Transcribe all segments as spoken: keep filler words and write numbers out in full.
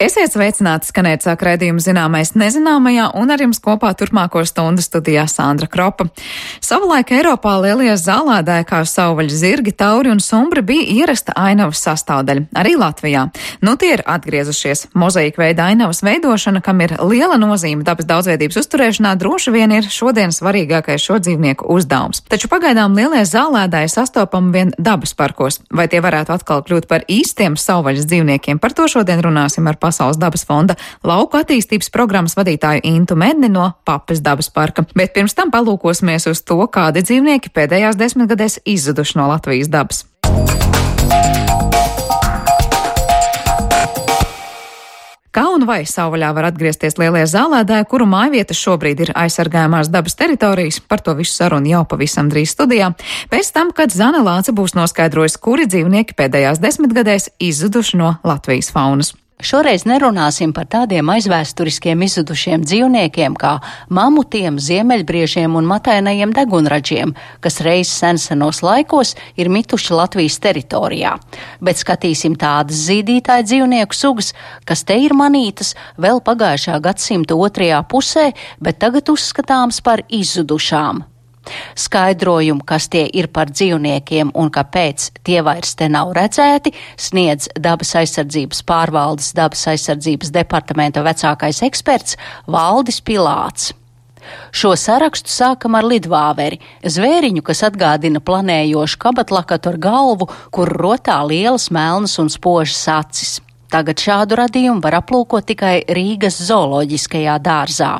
Esiet sveicināti, skanēt sāk raidījumu zināmais nezināmajā, un ar jums kopā turpmāko stundu studijā Sandra Kropa. Savulaik Eiropā lielie zālēdāji kā savvaļas zirgi, tauri un sumbri bija ierasta ainavas sastāvdaļa, arī Latvijā. Nu tie ir atgriezušies. Mozaīka veida ainavas veidošana, kam ir liela nozīme dabas daudzveidības uzturēšanā, droši vien ir šodien svarīgākais šo dzīvnieku uzdevums. Taču pagaidām lielie zālēdāji sastopami vien dabas parkos. Vai tie varētu atkal kļūt par īstiem savvaļas dzīvniekiem? Par to šodien runāsim ar Pasaules dabas fonda lauku attīstības programmas vadītāju Intu Medni no Papes dabas parka. Bet pirms tam palūkosimies uz to, kādi dzīvnieki pēdējās desmitgadēs izzuduši no Latvijas dabas. Kā un vai savvaļā var atgriezties lielie zālēdāji, kuru mājvietas šobrīd ir aizsargājumās dabas teritorijas? Par to visu sarunu jau pavisam drīz studijā. Pēc tam, kad Zane Lāce būs noskaidrojusi, kuri dzīvnieki pēdējās desmitgadēs izzuduši no Latvijas faunas. Šoreiz nerunāsim par tādiem aizvēsturiskiem izzudušiem dzīvniekiem kā mamutiem, ziemeļbriežiem un matainajiem degunraģiem, kas reiz sensenos laikos ir mituši Latvijas teritorijā. Bet skatīsim tādas zīdītāju dzīvnieku sugas, kas te ir manītas vēl pagājušā gadsimta otrajā pusē, bet tagad uzskatāms par izzudušām. Skaidrojumu, kas tie ir par dzīvniekiem un kāpēc tie vairs te nav redzēti, sniedz dabas aizsardzības pārvaldes dabas aizsardzības departamenta vecākais eksperts Valdis Pilāts. Šo sarakstu sākam ar lidvāveri, zvēriņu, kas atgādina planējošu kabatlakatu ar galvu, kur rotā lielas melnas un spožas acis. Tagad šādu radījumu var aplūkot tikai Rīgas zooloģiskajā dārzā.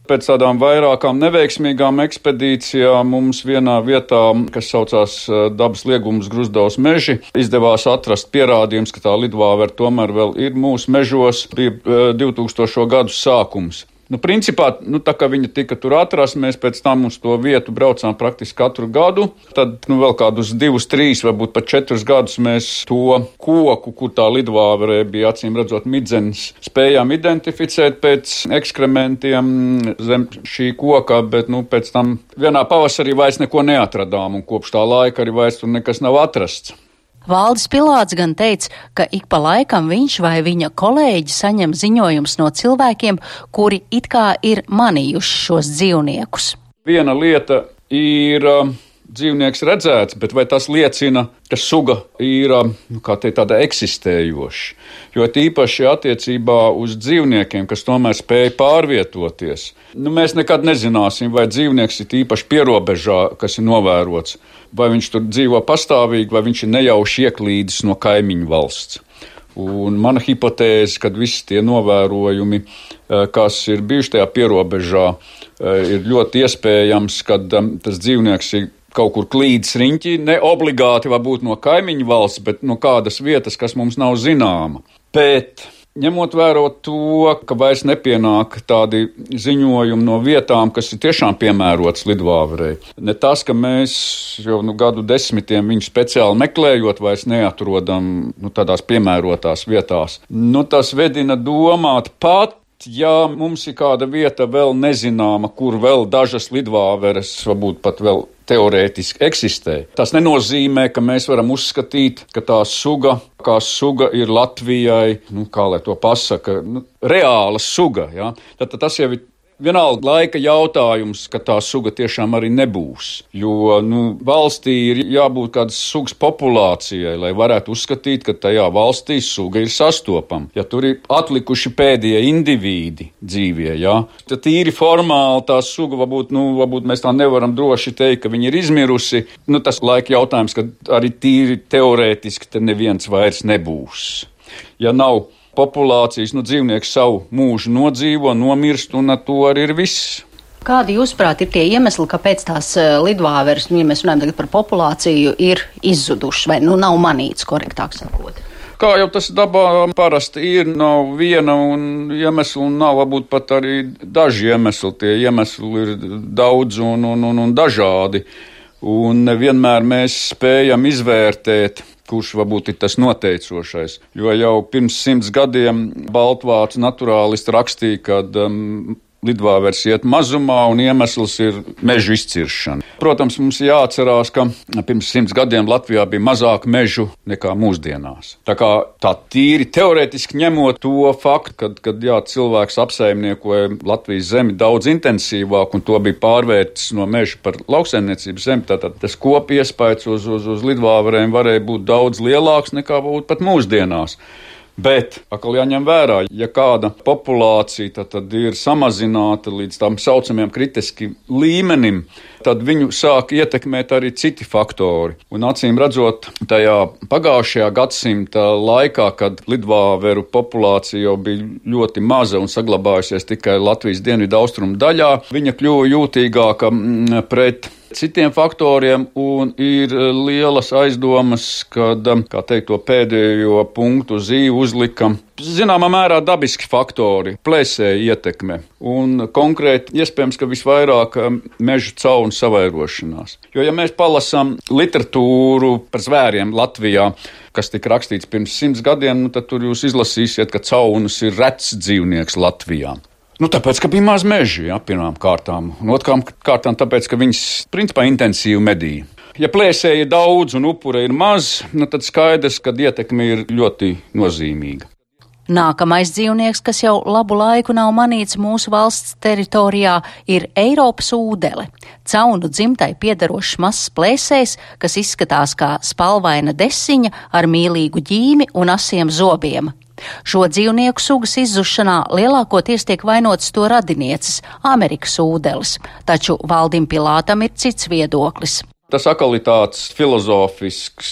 Pēc tādām vairākām neveiksmīgām ekspedīcijām mums vienā vietā, kas saucās dabas liegums Gruzdavas meži, izdevās atrast pierādījums, ka tā lidvāvera tomēr vēl ir mūsu mežos. Bija divtūkstošo gadu sākums. Nu, principā, nu, tā kā viņa tika tur atrasta, mēs pēc tam uz to vietu braucām praktiski katru gadu. Tad, nu, vēl kādus divus, trīs, varbūt pat četrus gadus mēs to koku, kur tā lidvāverē bija acīm redzot midzenis, spējām identificēt pēc ekskrementiem zem šī koka, bet, nu, pēc tam vienā pavasarī vairs neko neatradām, un kopš tā laika arī vairs tur nekas nav atrasts. Valdis Pilāts gan teica, ka ik pa laikam viņš vai viņa kolēģi saņem ziņojums no cilvēkiem, kuri it kā ir manījuši šos dzīvniekus. Viena lieta ir uh, dzīvnieks redzēts, bet vai tas liecina, ka suga ir uh, kā te tāda eksistējoša? Jo tīpaši attiecībā uz dzīvniekiem, kas tomēr spēj pārvietoties, nu, mēs nekad nezināsim, vai dzīvnieks ir īpaši pierobežā, kas ir novērots, vai viņš tur dzīvo pastāvīgi, vai viņš ir nejauši ieklīdis no kaimiņu valsts. Un mana hipotēze, kad visi tie novērojumi, kas ir bijuši tajā pierobežā, ir ļoti iespējams, ka tas dzīvnieks ir kaut kur klīdis riņķī, ne obligāti varbūt no kaimiņu valsts, bet no kādas vietas, kas mums nav zināma. Bet ņemot vērā to, ka vairs nepienāk tādi ziņojumi no vietām, kas ir tiešām piemērotas lidvāverei. Ne tas, ka mēs jau nu, gadu desmitiem viņu speciāli meklējot, vairs neatrodam nu, tādās piemērotās vietās. Nu, tas vedina domāt pat, ja mums ir kāda vieta vēl nezināma, kur vēl dažas lidvāveres varbūt pat vēl teorētiski eksistē. Tas nenozīmē, ka mēs varam uzskatīt, ka tā suga, kā suga ir Latvijai, nu, kā lai to pasaka, nu, reāla suga. Ja? Tad, tad tas jau ir vienalga laika jautājums, ka tā suga tiešām arī nebūs. Jo nu, valstī ir jābūt kādas sugas populācijai, lai varētu uzskatīt, ka tajā valstī suga ir sastopama. Ja tur ir atlikuši pēdējie indivīdi dzīvie, ja, tad tīri formāli tā suga, varbūt, nu, varbūt mēs tā nevaram droši teikt, ka viņa ir izmirusi. Nu, tas laika jautājums, ka arī tīri teorētiski te neviens vairs nebūs. Ja nav populācijas, nu, dzīvnieks savu mūžu nodzīvo, nomirst, un ar to arī ir viss. Kādi, jūsuprāt, ir tie iemesli, kāpēc tās lidvāveres, nu, ja mēs runājam tagad par populāciju, ir izzudušas, vai nu nav manīts, korektāk sakot? Kā jau tas dabā parasti ir, nav viena un iemesla, un nav varbūt pat arī daži iemesli. Tie iemesli ir daudz un, un, un, un dažādi, un nevienmēr mēs spējam izvērtēt, kurš varbūt ir tas noteicošais. Jo jau pirms simts gadiem baltvācu naturālisti rakstīja, ka um, lidvāveres iet mazumā, un iemesls ir mežu izciršana. Protams, mums jāatcerās, ka pirms simts gadiem Latvijā bija mazāk mežu nekā mūsdienās. Tā kā tā tīri teorētiski ņemot to faktu, kad, kad jā, cilvēks apsaimniekoja Latvijas zemi daudz intensīvāk, un to bija pārvērtis no meža par lauksaimniecības zemi, tātad tas kopiespējas uz, uz, uz lidvāverēm varēja būt daudz lielāks nekā būt pat mūsdienās. Bet, atkal jāņem vērā, ja kāda populācija tad, tad ir samazināta līdz tam saucamajam kritiski līmenim, tad viņu sāk ietekmēt arī citi faktori. Un acīm redzot, tajā pagājušajā gadsimta laikā, kad lidvāveru populācija jau bija ļoti maza un saglabājusies tikai Latvijas dienvidu austrumu daļā, viņa kļuva jūtīgāka pret citiem faktoriem, un ir lielas aizdomas, kad, kā teikt, to pēdējo punktu zīvu uzlika zināmā mērā dabiski faktori, plēsēja ietekme, un konkrēti iespējams, ka visvairāk mežu caunu savairošanās. Jo, ja mēs palasām literatūru par zvēriem Latvijā, kas tika rakstīts pirms simts gadiem, nu, tad tur jūs izlasīsiet, ka caunas ir rets dzīvnieks Latvijā. Nu, tāpēc, ka bija maz meži, jā, pirmām kārtām, un otrām kārtām tāpēc, ka viņas principā intensīvi medīja. Ja plēsēja daudz un upura ir maz, nu, tad skaidrs, ka ietekme ir ļoti nozīmīga. Nākamais dzīvnieks, kas jau labu laiku nav manīts mūsu valsts teritorijā, ir Eiropas ūdele. Caunu dzimtai piederošs mazs plēsējs, kas izskatās kā spalvaina desiņa ar mīlīgu ģīmi un asiem zobiem. Šo dzīvnieku sugas izzušanā lielākoties tiek vainotas to radinieces, Amerikas ūdeles, taču Valdim Pilātam ir cits viedoklis. Tas atkal ir tāds filozofisks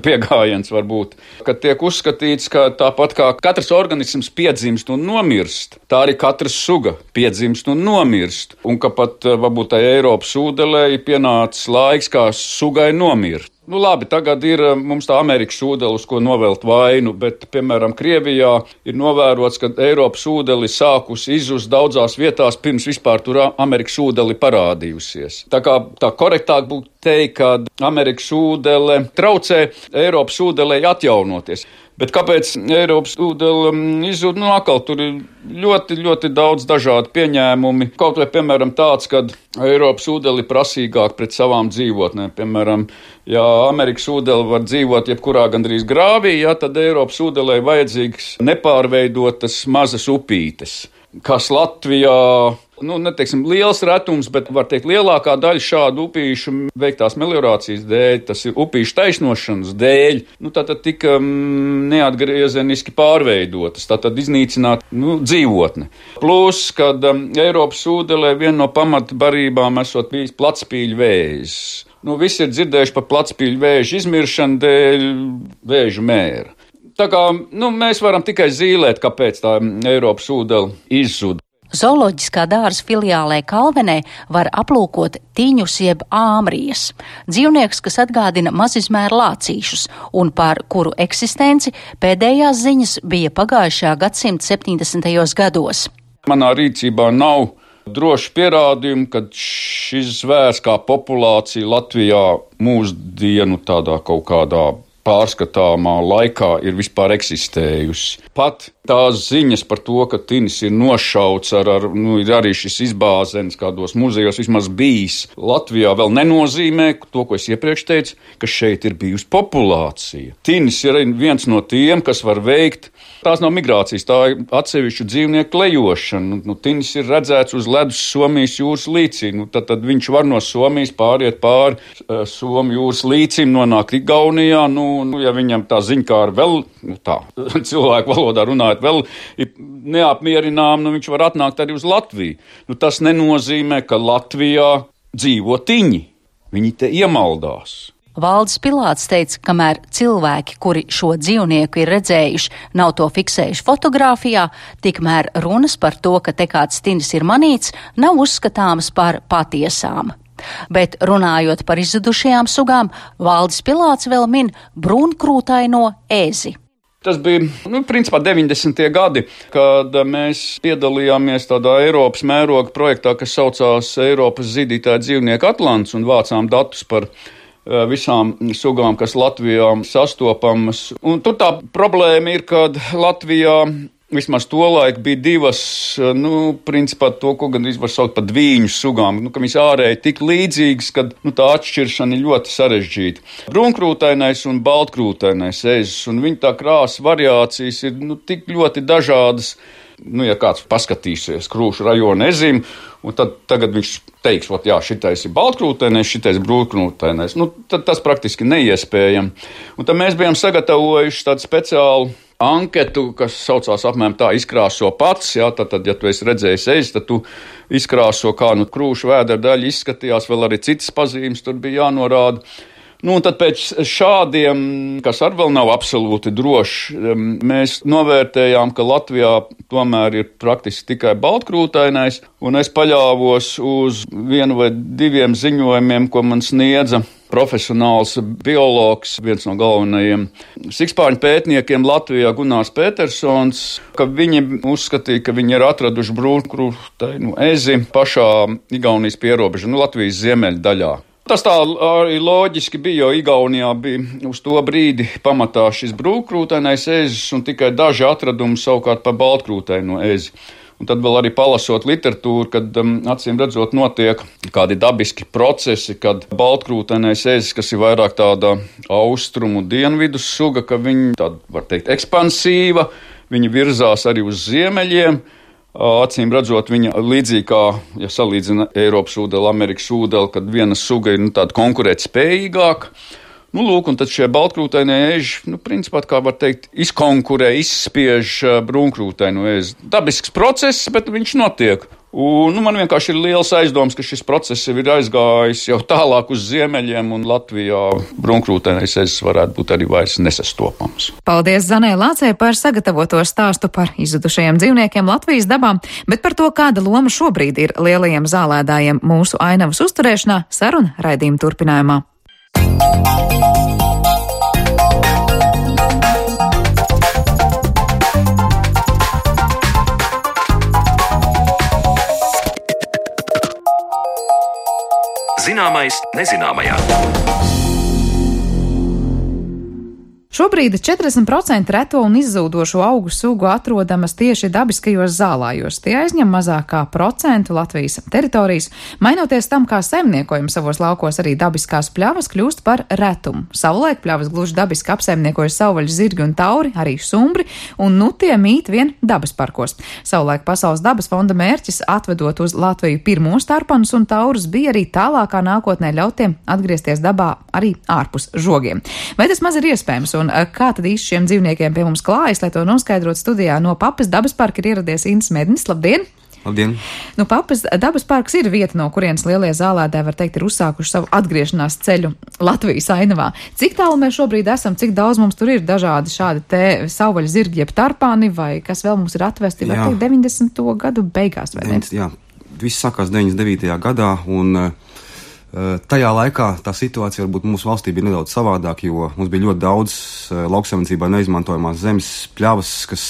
pieejams varbūt, kad tiek uzskatīts, ka tāpat kā katrs organisms piedzimst un nomirst, tā arī katra suga piedzimst un nomirst, un ka pat varbūt tai Eiropas ūdelē ir pienācis laiks, kā sugai nomirt. Nu labi, tagad ir mums tā Amerikas ūdele, uz ko novelt vainu, bet, piemēram, Krievijā ir novērots, ka Eiropas ūdeli sākusi izzust daudzās vietās, pirms vispār tur Amerikas ūdeli parādījusies. Tā kā tā korektāk būtu teikt, ka Amerikas ūdele traucē Eiropas ūdelei atjaunoties. Bet kāpēc Eiropas ūdele izzūd? Nu, atkal tur ir ļoti, ļoti daudz dažādu pieņēmumi. Kaut vai, piemēram, tāds, kad Eiropas ūdeli prasīgāk pret savām dzīvotnēm. Piemēram, ja Amerikas ūdele var dzīvot jebkurā gandrīz grāvī, ja, tad Eiropas ūdelei vajadzīgs nepārveidotas mazas upītes, kas Latvijā, nu, neteiksim, liels retums, bet, var teikt, lielākā daļa šādu upīšu veiktās meliorācijas dēļ, tas ir upīšu taisnošanas dēļ, nu, tātad tika mm, neatgriezeniski pārveidotas, tātad iznīcināt, nu, dzīvotne. Plus, kad um, Eiropas ūdelē viena no pamatbarībām esot bijis platspīļu vēzis. Nu, visi ir dzirdējuši par platspīļu vēžu izmiršanu dēļ vēžu mēra. Tā kā, nu, mēs varam tikai zīlēt, kāpēc tā Eiropas ūdele izzuda. Zooloģiskā dārza filiālē Kalvenē var aplūkot tiņus jeb āmrijas. Dzīvnieks, kas atgādina mazizmēra lācīšus un par kuru eksistenci pēdējās ziņas bija pagājušā gadsimta septiņdesmitajos gados. Manā rīcībā nav droši pierādījumi, ka šis zvērs kā populācija Latvijā mūsdienu tādā kaut kādā pārskatāmā laikā ir vispār eksistējusi. Pat tās ziņas par to, ka tinis ir nošauts ar, ar nu, ir arī šis izbāzens kādos muzejos vismaz bijis, Latvijā vēl nenozīmē to, ko es iepriekš teicu, ka šeit ir bijusi populācija. Tinis ir viens no tiem, kas var veikt. Tās nav migrācijas, tā ir atsevišķu dzīvnieku klejošana. Nu, tinis ir redzēts uz ledus Somijas jūras līcī. Nu, tad, tad viņš var no Somijas pāriet pāri uh, Somijas jūras līcim, nonākt Igaunijā. Nu, nu, ja viņam tā ziņkāra vēl, nu, tā, cilvēku valodā runājot, vēl ir neapmierinām, nu, viņš var atnākt arī uz Latviju. Nu, tas nenozīmē, ka Latvijā dzīvo tiņi. Viņi te iemaldās. Valdis Pilāts teica, kamēr cilvēki, kuri šo dzīvnieku ir redzējuši, nav to fiksējuši fotogrāfijā, tikmēr runas par to, ka te kāds tinis ir manīts, nav uzskatāmas par patiesām. Bet runājot par izzudušajām sugām, Valdis Pilāts vēl min brūnkrūtaino ēzi. Tas bija, nu, principā deviņdesmitie gadi, kad mēs piedalījāmies tādā Eiropas mēroga projektā, kas saucās Eiropas zīdītāja dzīvnieku atlants, un vācām datus par visām sugām, kas Latvijā sastopamas. Un tur tā problēma ir, kad Latvijā vismaz tolaik bija divas, nu, principā to, ko gandrīz var saukt par dvīņu sugām, nu, ka viņas ārēji tik līdzīgas, ka, nu, tā atšķiršana ir ļoti sarežģīta. Brūnkrūtainais un baltkrūtainais ezis, un viņa tā krāsa variācijas ir, nu, tik ļoti dažādas. Nu, ja kāds paskatīsies Krūšu rajona ezim, un tad tagad viņš teiks, ot, jā, šitais ir baltkrūtainais, šitais brūnkrūtainais, nu, tad tas praktiski neiespējami. Un tad mēs bijām sagatavojuši tādu speciālu anketu, kas saucās apmēram tā izkrāso pats, jā, tad, tad ja tu esi redzējis ezi, tad tu izkrāso, kā nu Krūšu vēdera daļa izskatījās, vēl arī citas pazīmes tur bija jānorāda. Nu, un tad pēc šādiem, kas arī vēl nav absolūti droši, mēs novērtējām, ka Latvijā tomēr ir praktiski tikai baltkrūtainais, un es paļāvos uz vienu vai diviem ziņojumiem, ko man sniedza profesionāls biologs, viens no galvenajiem sikspārņu pētniekiem Latvijā, Gunārs Petersons, ka viņi uzskatīja, ka viņi ir atraduši brūnkrūtainu ezi pašā Igaunijas pierobeža, nu, Latvijas ziemeļu daļā. Tas tā arī loģiski bija, jo Igaunijā bija uz to brīdi pamatā šis brūnkrūtainais ezis un tikai daži atradumi savukārt par baltkrūtaino ezi. Un tad vēl arī palasot literatūru, kad um, acīm redzot notiek kādi dabiski procesi, kad baltkrūtainais ezis, kas ir vairāk tāda austrumu dienvidu suga, ka viņi tāda, var teikt, ekspansīva, viņi virzās arī uz ziemeļiem. Acīm redzot, viņa līdzīgi kā, ja salīdzina Eiropas ūdeli, Amerikas ūdeli, kad viena suga ir nu, tāda konkurētspējīgāka. Nu, lūk, un tad šie baltkrūtainie eži, nu, principā, kā var teikt, izkonkurē, izspiež brūnkrūtaino ezi. Dabisks process, bet viņš notiek. Un, nu, man vienkārši ir liels aizdoms, ka šis process ir aizgājis jau tālāk uz ziemeļiem, un Latvijā brūnkrūtainais ezis varētu būt arī vairs nesastopams. Paldies Zanai Lācei par sagatavoto stāstu par izzudušajiem dzīvniekiem Latvijas dabā, bet par to, kāda loma šobrīd ir lielajiem zālēdājiem mūsu ainavas uzturēšanā, saruna raidījuma turpinājumā. Zināmais nezināmajā. Šobrīd četrdesmit procenti reto un izzūdošo augu sugu atrodamas tieši dabiskajos zālājos. Tie aizņem mazāk kā procentu Latvijas teritorijas. Mainoties tam, kā saimniekojam savos laukos, arī dabiskās pļavas kļūst par retumu. Savulaik pļavas gluži dabiski apsaimniekoja savvaļas zirgi un tauri, arī sumbri, un nu tie mīt vien dabas parkos. Savulaik Pasaules dabas fonda mērķis, atvedot uz Latviju pirmos tarpanus un taurus, bija arī tālākā nākotnē ļautiem atgriezties dabā arī ārpus žogiem. Vai tas maz ir iespējams? Un kā tad īsti šiem dzīvniekiem pie mums klājas, lai to noskaidrot studijā no Papas dabas parka ir ieradies Inns Mednis. Labdien! Labdien! Nu, Papas dabas parks ir vieta, no kurienes lielie zālēdāji, var teikt, ir uzsākuši savu atgriešanās ceļu Latvijas ainavā. Cik tālu mēs šobrīd esam, cik daudz mums tur ir dažādi šādi te savvaļas zirgi, jeb tarpāni, vai kas vēl mums ir atvesti, var teikt, deviņdesmito gadu beigās, vai ne? Jā, viss sākās deviņdesmit devītajā gadā, un tajā laikā tā situācija varbūt mūsu valstī bija nedaudz savādāk, jo mums bija ļoti daudz lauksaimniecībā neizmantojamās zemes pļavas, kas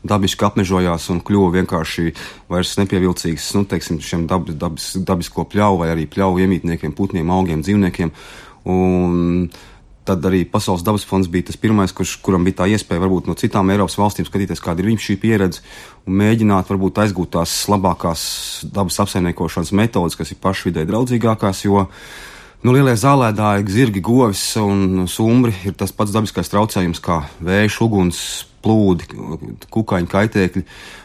dabiski apmežojās un kļuva vienkārši vairs nepievilcīgas, nu, teiksim, šiem dab, dabis, dabisko pļauju vai arī pļauju iemītniekiem, putniem, augiem, dzīvniekiem. Un tad arī Pasaules dabas fonds bija tas pirmais, kurš, kuram bija tā iespēja varbūt no citām Eiropas valstīm skatīties, kāda ir viņu šī pieredze un mēģināt varbūt aizgūt tās labākās dabas apsaimniekošanas metodas, kas ir pašvidē draudzīgākās, jo nu, lielie zālēdāji, zirgi, govis un sumbri ir tas pats dabiskais traucējums kā vējš, uguns, plūdi, kukaiņu kaitēkļi,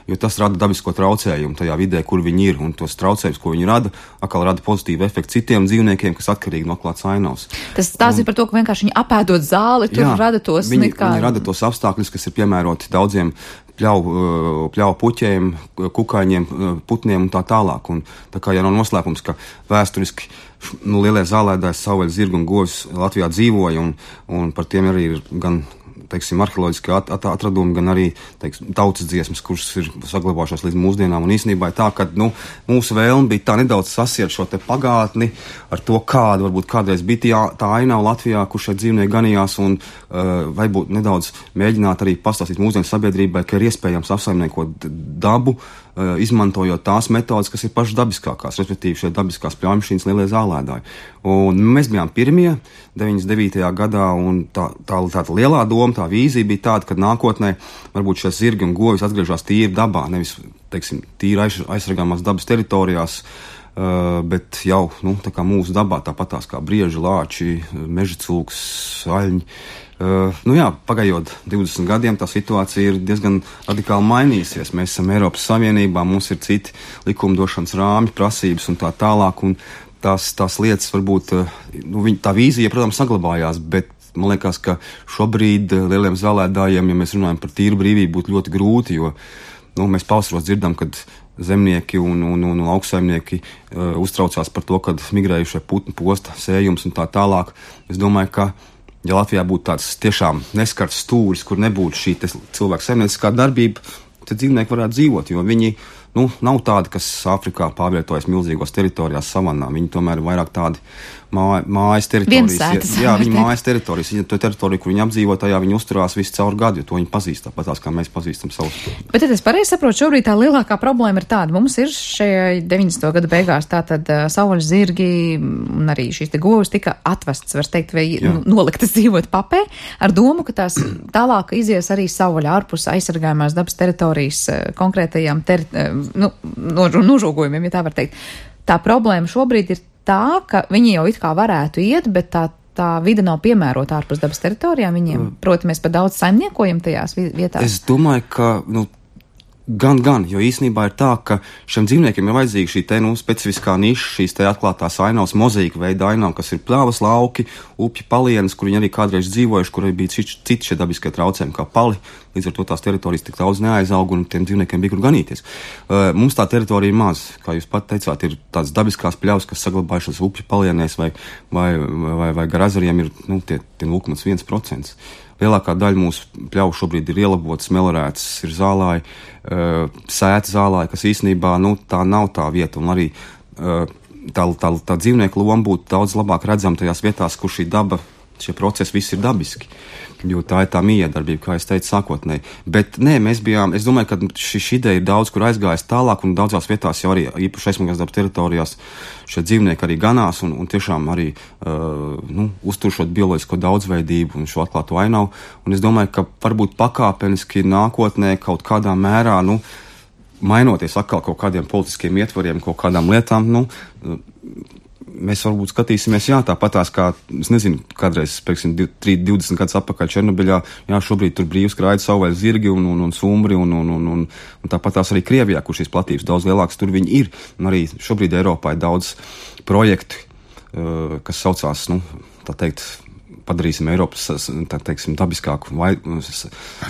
jo tas rada dabisko traucējumu tajā vidē, kur viņi ir, un tos traucējumus, ko viņi rada, atkal rada pozitīvu efektu citiem dzīvniekiem, kas atkarīgi no klāts ainavas. Tas tās un, ir par to, ka vienkārši viņi apēdot zāli, tur jā, rada tos... Viņi, kā... viņi rada tos apstākļus, kas ir piemēroti daudziem pļauju, pļauju puķiem, kukaiņiem, putniem un tā tālāk. Un tā kā jau nav noslēpums, ka vēsturiski nu, lielie zālēdāji, savvaļas zirgi un govis Latvijā dzīvoja, un, un par tiem arī ir gan teiksim, arheoloģiski at, at, atradumi, gan arī teiksim, tautas dziesmas, kuras ir saglabājušās līdz mūsdienām. Un īstenībā ir tā, ka nu, mūsu vēlme bija tā nedaudz sasiet šo te pagātni ar to, kāda varbūt kādreiz bija tā, tā ainava Latvijā, kur šeit dzīvnieki ganījās, un uh, varbūt nedaudz mēģināt arī pastāstīt mūsdienu sabiedrībai, ka ir iespējams apsaimniekot dabu izmantojot tās metodas, kas ir pašas dabiskākās, respektīvi šie dabiskās pļaujumašīnas lielie zālēdāji. Un mēs bijām pirmie deviņdesmit devītajā gadā, un tā, tā, tā, tā lielā doma, tā vīzija bija tāda, ka nākotnē varbūt šie zirgi un govis atgriežas tīri dabā, nevis, teiksim, tīri aiz, aizsargāmās dabas teritorijās, uh, bet jau, nu, tā kā mūsu dabā, tāpatās kā brieži, lāči, meža cūks, aļņi. Uh, nu jā, pagājot divdesmit gadiem, tā situācija ir diezgan radikāli mainījusies. Mēs esam Eiropas Savienībā, mums ir citi likumdošanas rāmi, prasības un tā tālāk, un tās, tās lietas varbūt, nu, viņ, tā vīzija, protams, saglabājās, bet man liekas, ka šobrīd lieliem zālēdājiem, ja mēs runājam par tīru brīvību, būtu ļoti grūti, jo, nu, mēs pavasaros dzirdam, kad zemnieki un, un, un, un lauksaimnieki uh, uztraucās par to, kad migrējušie putni posta sējums un tā tālāk. Es domāju, ka ja Latvijā būtu tāds tiešām neskarts stūris, kur nebūtu šī cilvēku saimnieciskā darbība, tad dzīvnieki varētu dzīvot, jo viņi, nu, nav tādi, kas Āfrikā pārvietojas milzīgos teritorijās savannā. Viņi tomēr ir vairāk tādi mā, mājas teritorijas. Viensētas. Jā, viņi mājas teritorijas. Viņa to teritoriju, kur viņi apdzīvo, tajā viņi uzturās visu caur gadu, jo to viņi pazīst tāpatās, kā mēs pazīstam savus. Bet tad es pareizi saprotu, šobrīd tā lielākā problēma ir tāda. Mums ir šajā deviņdesmito gadu beigās tātad uh, savvaļas zirgi un arī šīs te govis tika atvests, var teikt, vai nu, noliktas dzīvot papē, ar domu, ka tās tālāk izies arī savvaļa ārpus aizsargājumās dabas teritorijas uh, konkrētajām teri uh, nu, nožogojumiem, ja tā var teikt. Tā problēma šobrīd ir tā, ka viņi jau it kā varētu iet, bet tā, tā vide nav piemērota ārpus dabas teritorijām viņiem. Proti, mēs par daudz saimniekojam tajās vietās. Es domāju, ka, nu, gan, gan, jo īsnībā ir tā, ka šiem dzīvniekiem ir vajadzīga šī te, nu, specifiskā niša, šīs te atklātās ainavas, mozaīka veida ainava, kas ir pļavas, lauki, upju palienas, kur viņi arī kādreiz dzīvojuši, kur arī bija citi šie dabiskie traucējumi kā pali. Līdz ar to tās teritorijas tik daudz neaizaug un tiem dzīvniekiem bija kur ganīties. Uh, mums tā teritorija ir maz, kā jūs pat teicāt, ir tādas dabiskās pļavas, kas saglabājušas upju palienēs vai, vai, vai, vai gar ezeriem ir, nu, tie, tie nulle komats viens procents. Lielākā daļa mūsu pļauju šobrīd ir ielabotas, melorētas, ir zālāji, uh, sēta zālāji, kas īstenībā, nu, tā nav tā vieta, un arī uh, tā, tā, tā dzīvnieku loma būtu daudz labāk redzama tajās vietās, kur šī daba, šie procesi visi ir dabiski, jo tā ir tā miedarbība, kā es teicu sākotnēji. Bet nē, mēs bijām, es domāju, ka šī, šī ideja ir daudz, kur aizgājas tālāk, un daudzās vietās jau arī īpaši aizsargātās dabas teritorijās šie dzīvnieki arī ganās, un, un tiešām arī uh, nu, uztur šo bioloģisko daudzveidību un šo atklāto ainavu. Un es domāju, ka varbūt pakāpeniski nākotnē kaut kādā mērā, nu, mainoties atkal kaut kādiem politiskiem ietvariem, kaut kādām lietām, nu, mēs varbūt skatīsimies, jā, tāpatās kā, es nezinu, kādreiz, pēksim, divdesmit gadus atpakaļ Černobiļā, jā, šobrīd tur brīvi skraida savvaļas zirgi un, un, un sumbri, un, un, un, un, un tāpatās arī Krievijā, kur šīs platības daudz lielākas, tur viņi ir, un arī šobrīd Eiropā ir daudz projektu, uh, kas saucās, nu, tā teikt, padarīsim Eiropas, tā teiksim, dabiskāku vai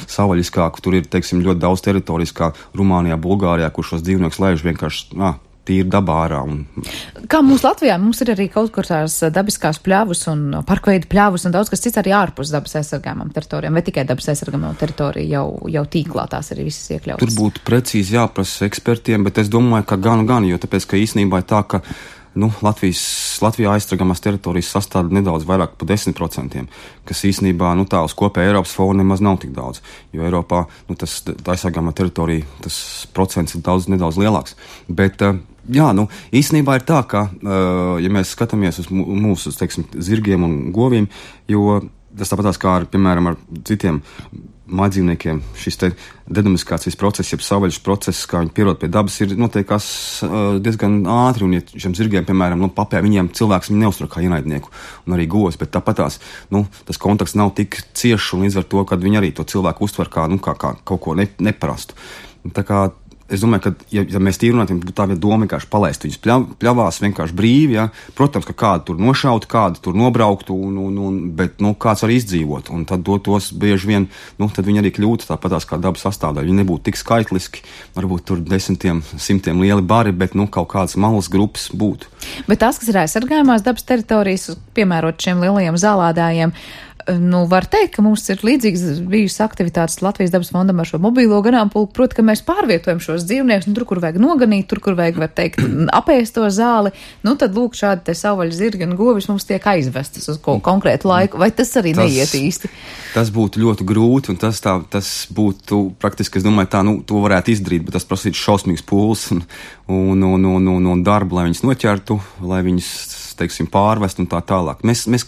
savvaļiskāku, tur ir, teiksim, ļoti daudz teritorijas, kā Rumānijā, Bulgārijā, kur šos dzīvniekus laiž vienkārši, jā, tīri dabā ārā. Un... Kā mums Latvijā, mums ir arī kaut kur tās dabiskās pļavas un parkveidu pļavas un daudz kas cits arī ārpus dabas aizsargājumām teritorijām, vai tikai dabas aizsargājumām teritoriju jau, jau tīklā tās arī visas iekļautas? Tur būtu precīzi jāprasa ekspertiem, bet es domāju, ka gan gan, jo tāpēc, ka īstenībā ir tā, ka nu, Latvijas, Latvijā aizsargāmās teritorijas sastāv nedaudz vairāk par desmit procentiem, kas īstenībā, nu, tā uz kopēja Eiropas fona nemaz nav tik daudz, jo Eiropā, nu, tas aizsargāmā teritorija, tas procents ir daudz nedaudz lielāks, bet, jā, nu, īstenībā ir tā, ka, ja mēs skatāmies uz mūsu, teiksim, zirgiem un goviem, jo tas tāpatās kā ar, piemēram, ar citiem mājdzīvniekiem, šis te dedomestikācijas process, jeb savvaļas process, kā viņi pierod pie dabas, ir notiekās uh, diezgan ātri, un ja šiem zirgiem, piemēram, nu, papē, viņiem cilvēks viņi neuztur kā ienaidnieku, un arī govs, bet tāpatās, nu, tas kontakts nav tik ciešs, un līdz ar to, kad viņi arī to cilvēku uztver kā, nu, kā, kā kaut ko ne, neparastu. Tā kā es domāju, ka, ja, ja mēs tīri runātu, tā vieta doma vienkārši palaist viņus pļav, pļavās vienkārši brīvi, ja. Protams, ka kādu tur nošaut, kādu tur nobrauktu, un, un, un, bet, nu, kāds arī izdzīvot, un tad tos bieži vien, nu, tad viņi arī kļūtu tāpatās kā dabas sastāvdaļa. Viņi nebūtu tik skaitliski, varbūt tur desmitiem, simtiem lieli bari, bet, nu, kaut kādas malas grupas būtu. Bet tās, kas ir aizsargājumās dabas teritorijas, piemērot šiem lielajiem zālādājiem, Nu, var teikt, ka mums ir līdzīgas bijušas aktivitātes Latvijas dabas fondam ar šo mobīlo ganāmpulku, proti, ka mēs pārvietojam šos dzīvniekus, nu, tur, kur vajag noganīt, tur, kur vajag, var teikt, apēst to zāli, nu, tad, lūk, šādi te savvaļas zirgi un govis mums tiek aizvestas uz ko konkrētu laiku, vai tas arī tas, neiet īsti? Tas būtu ļoti grūti, un tas tā, tas būtu praktiski, es domāju, tā, nu, to varētu izdarīt, bet tas prasītu šausmīgs pūles un, un, un, un, un, un darbu, lai viņus noķertu, lai viņus, teiksim, pārvest un tā tālāk. Mēs, mēs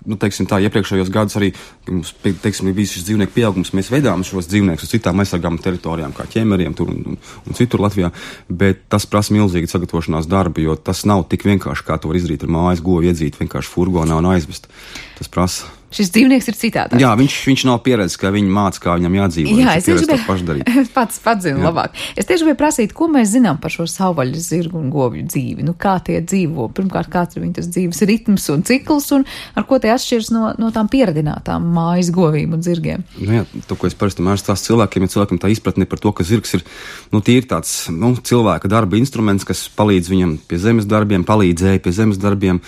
Nu, teiksim tā, iepriekšējos gadus arī, mums, teiksim, bija šis dzīvnieku pieaugums, mēs veidām šos dzīvniekus uz citām aizsargām teritorijām, kā ķemeriem tur un, un, un citur Latvijā, bet tas prasa milzīgi sagatavošanās darbu, jo tas nav tik vienkārši, kā to var izdarīt ar mājas govu iedzīt vienkārši furgonā un aizvest. Tas prasa. Šis dzīvnieks ir citādāk. Jā, viņš, viņš nav pieredzis, ka viņi māca, kā viņam jādzīvo. Jā, es tieši gribēju, pats, pats zinu labāk. Es tieši gribēju prasīt, ko mēs zinām par šo savvaļas zirgu un govju dzīvi. Nu, kā tie dzīvo? Pirmkārt, kāds ir viņa tas dzīves ritms un cikls, un ar ko tie atšķiras no, no tām pieradinātām mājas govīm un zirgiem? Nu jā, to, ko es parasti mērs tās cilvēkiem, ja cilvēkiem tā izpratne par to, ka zirgs ir, nu, tīri tāds, nu, cilvēka darba instruments, kas palīdz viņam pie zemes darbiem, palīdzēja pie zemes darbiem,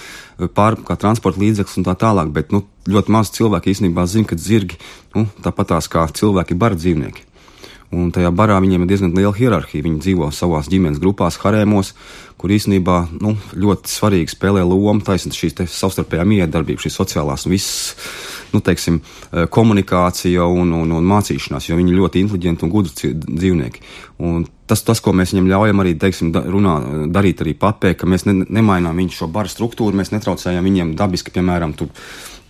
pār, kā transporta līdzeklis un tā tālāk, bet, nu, ļoti maz cilvēki īstenībā zina, ka zirgi, nu, tāpatās kā cilvēki ir bara dzīvnieki. Un tajā barā viņiem ir diezgan liela hierarhija. Viņi dzīvo savās ģimenes grupās, harēmos, kur īstenībā, nu, ļoti svarīgi spēlē lomu taisnīt šīs te savstarpējā miedarbība, šīs sociālās un visas, nu, teiksim, komunikācija un, un, un mācīšanās, jo viņi ir ļoti inteliģenti un gudri dzīvnieki. Un tas, tas, ko mēs viņam ļaujam arī, teiksim, runā, darīt arī papē, ka mēs ne, nemainām viņu šo bara struktūru, mēs netraucējam viņiem dabiski, piemēram, tur,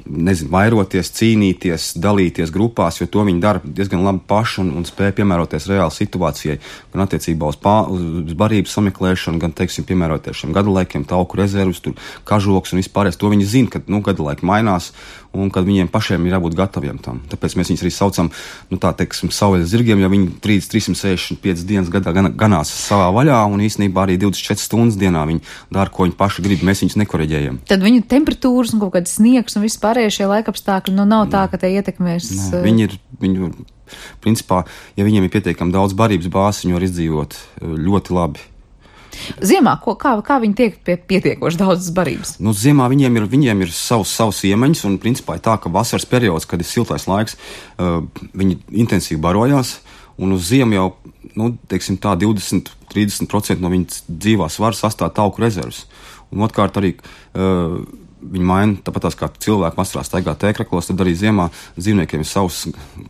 nezinu, vairoties, cīnīties, dalīties grupās, jo to viņi dara diezgan labi paši un, un spēja piemēroties reāli situācijai, gan attiecībā uz, pā, uz barības sameklēšanu, gan, teiksim, piemēroties šiem gadalaikiem, tauku rezervus, tur kažoks un vispārējais. To viņi zina, ka, nu, gadalaiki mainās un kad viņiem pašiem ir jābūt gataviem tam. Tāpēc mēs viņus arī saucam, nu, tā, teiksim, savvaļas zirgiem, jo viņi trīsdesmit sešdesmit piecas dienas gadā gan, ganās savā vaļā un īstenībā arī divdesmit četras stundas dienā viņi dara, ko viņi paši grib, mēs viņus nekoreģējam. Tad viņu temperatūras un kaut kāds sniegs un vispārējie šie laikapstākļi, nu, nav tā, ka te ietekmēs. Nē, viņi ir, viņi, principā, ja viņiem ir pietiekami daudz barības bāzes, viņi var izdzīvot ļoti labi. Ziemā, ko, kā, kā viņi tiek pie pietiekoši daudzas barības? Nu, ziemā viņiem ir, viņiem ir savs, savs iemaņas, un principā ir tā, ka vasaras periods, kad ir siltais laiks, uh, viņi intensīvi barojās, un uz ziemu jau, nu, teiksim tā, divdesmit līdz trīsdesmit procenti no viņas dzīvās var sastāvēt tauku rezervus. Un otrkārt arī uh, viņi maina, tāpat tās kā cilvēki vasarā staigā tēkraklos, tad arī ziemā dzīvniekiem ir savs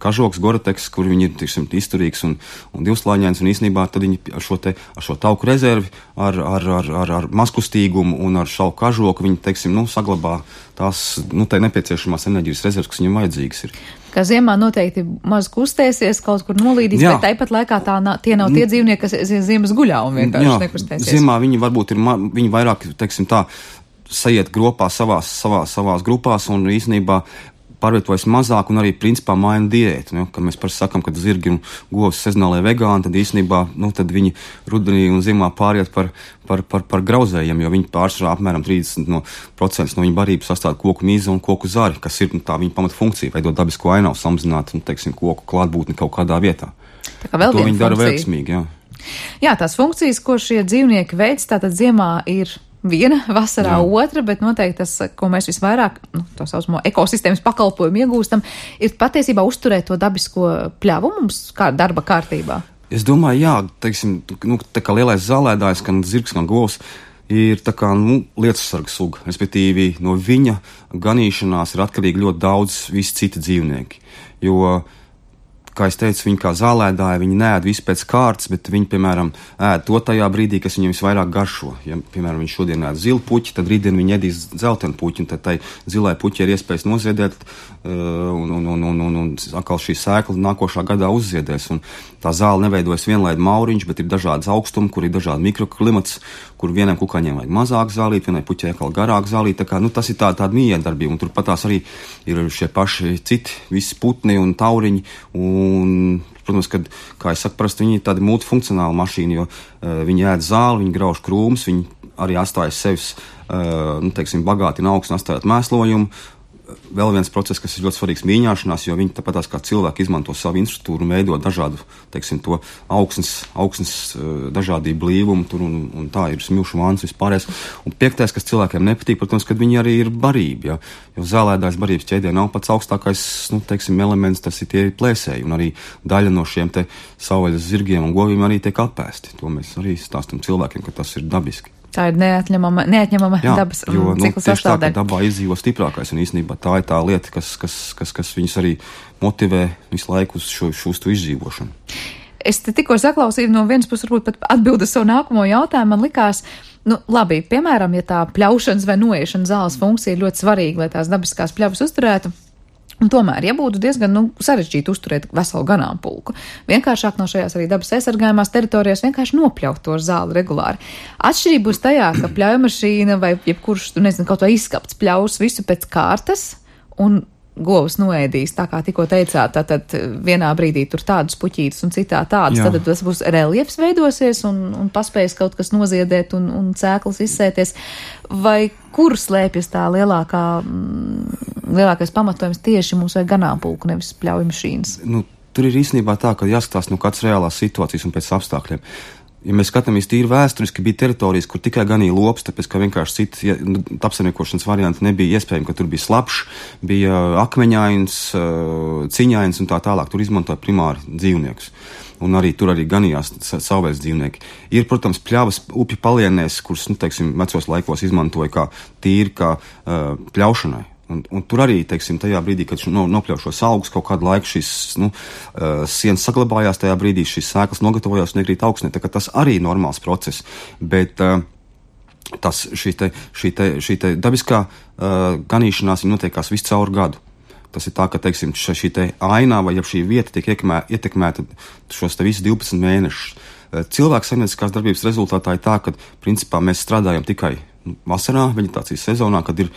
kažoks, gorateks, kur viņi ir, tiksim, izturīgs un, un divslāņains, un īstenībā tad viņi ar šo te, ar šo tauku rezervi, ar, ar, ar, ar, ar mazkustīgumu un ar šo kažoku, viņi, teiksim, nu, saglabā tās, nu, tai nepieciešamās enerģijas rezerves, kas viņam vajadzīgas ir. Ka ziemā noteikti maz kustēsies, kaut kur nolīdīs, jā. Bet tāpat laikā tā nā, tie nav tie dzīvnieki, kas ziemas guļā un vienkārši jā, nekustēsies. Ziemā viņi varbūt ir, ma, viņi vairāk, teiksim tā, sajiet grupā savās, savās, savās grupās un īstenībā pārvietojas mazāk un arī principā maina diētu. Nu, kad mēs parasti sakam, ka zirgi un govs sezonālai vegāni, tad īstenībā, nu, tad viņi rudenī un ziemā pāriet par, par, par, par grauzējiem, jo viņi pārsvarā apmēram trīsdesmit procenti no, no viņa barības sastāv koku mīza un koku zari, kas ir, nu, tā viņa pamata funkcija, veidot dabisko ainavu, samazināt, nu, teiksim, koku klātbūtni kaut kādā vietā. Tā kā vēl to viņi dara funkcija. veiksmīgi, jā. Jā, tās funkcijas, ko šie dzīvnieki veids, tātad ziemā ir viena, vasarā jā. Otra, bet noteikti tas, ko mēs visvairāk, nu, to saucamo ekosistēmas pakalpojumu iegūstam, ir patiesībā uzturēt to dabisko pļavu mums kā darba kārtībā. Es domāju, jā, teiksim, nu, tā kā lielais zālēdājs, gan zirgs, gan govs, ir tā kā, nu, lietussarga suga, respektīvi no viņa ganīšanās ir atkarīgi ļoti daudz visi citi dzīvnieki, jo, kā es teicu, viņi kā zālēdāji, viņi neēd visu pēc kārtas, bet viņi, piemēram, ēd to tajā brīdī, kas viņiem visvairāk garšo. Ja, piemēram, viņi šodien ēd zilu puķi, tad rītdien viņi ēdīs dzeltenu puķi, un tad tai zilai puķi ir iespējas noziedēt, uh, un, un, un, un, un, un atkal šī sēkla nākošā gadā uzziedēs. Un tā zāle neveidojas vienlaid mauriņš, bet ir dažādas augstumi, kur ir dažādi mikroklimats, kur vienam kukaiņiem vajag mazāk zālīt, vienai puķei atkal garāk zālīt. Tā kā, nu, tas ir tā, tāda miedarbība, un turpat tās arī ir šie paši citi, visi putni un tauriņi, un, protams, kad, kā es saku, parasti viņi ir tādi multifunkcionāli mašīni, jo uh, viņi ēd zāli, viņi grauž krūmus, viņi arī atstājas sevis, uh, nu, teiksim, bagātina augstu un atstājot mēslojumu, vēl viens process, kas ir ļoti svarīgs mīņāšanās, jo viņi tāpatās kā cilvēki izmanto savu infrastruktūru un veido dažādu, teiksim, to augsnes, augsnes dažādību blīvumu, tur un, un tā ir smilšu vāns vispārējais. Un piektais, kas cilvēkiem nepatīk, protams, kad viņi arī ir barība, ja? Jo zālēdājs barības ķēdē nav pats augstākais, nu, teiksim, elements, tas ir tie plēsēji, un arī daļa no šiem te savvaļas zirgiem un govīm arī tiek apēsti. To mēs arī stāstam cilvēkiem, ka tas ir dabiski. Tā ir neatņemama, neatņemama Jā, dabas jo, nu, cikla sastāvdaļa. Tā, dabā izdzīvo stiprākais, un īstenībā tā ir tā lieta, kas, kas, kas, kas viņus arī motivē visu laiku uz šo, šo izdzīvošanu. Es te tikko saklausīju no vienas puses, varbūt pat atbildu savu nākamo jautājumu, man likās, nu, labi, piemēram, ja tā pļaušanas vai noiešanas zāles funkcija ir ļoti svarīga, lai tās dabiskās pļavas uzturētu. Un tomēr, ja būtu diezgan nu, sarežģīti uzturēt veselu ganāmpulku, vienkāršāk no šajās arī dabas aizsargājumās teritorijās vienkārši nopļaut to zāli regulāri. Atšķirība būs tajā, ka pļaujmašīna vai jebkurš, tu nezinu, kaut vai izskapts pļaus visu pēc kārtas un govs noēdīs, tā kā tikko teicāt, tad vienā brīdī tur tādas puķītas un citā tādas, tad tas būs reliefs veidosies un, un paspējas kaut kas noziedēt un, un cēklas izsēties. Vai kur slēpjas tā lielākā, lielākais pamatojums tieši mums vai ganāmpulku, nevis pļaujmašīnas? Nu, tur ir īstenībā tā, ka jāskatās no kādas reālās situācijas un pēc apstākļiem. Ja mēs skatāmies tīri vēsturiski, bija teritorijas, kur tikai ganīja lops, tāpēc, ka vienkārši citi apsaimniekošanas varianti nebija iespējami, ka tur bija slapšs, bija akmeņains, ciņains un tā tālāk. Tur izmantoja primāri dzīvniekus. Un arī tur arī ganījās savvaļas dzīvnieki. Ir, protams, pļavas upju palienēs, kuras, nu, teiksim, vecos laikos izmantoja kā tīri kā uh, pļaušanai. Un, un tur arī, teiksim, tajā brīdī, kad no, nopļauj šos augus, kaut kādu laiku šīs nu, uh, sienas saglabājās, tajā brīdī šīs sēklas nogatavojās un iekrīt augstnē. Tā kā tas arī ir normāls process. Bet uh, tas, šī, te, šī, te, šī te dabiskā uh, ganīšanās notiekās visu caur gadu. Tas ir tā, ka, teiksim, šī te ainā vai ja šī vieta tiek ietekmē, ietekmēta šos te visus divpadsmit mēnešus. Cilvēku saimnieciskās darbības rezultātā ir tā, ka, principā, mēs strādājam tikai vasarā, veģetācijas sezonā, kad ir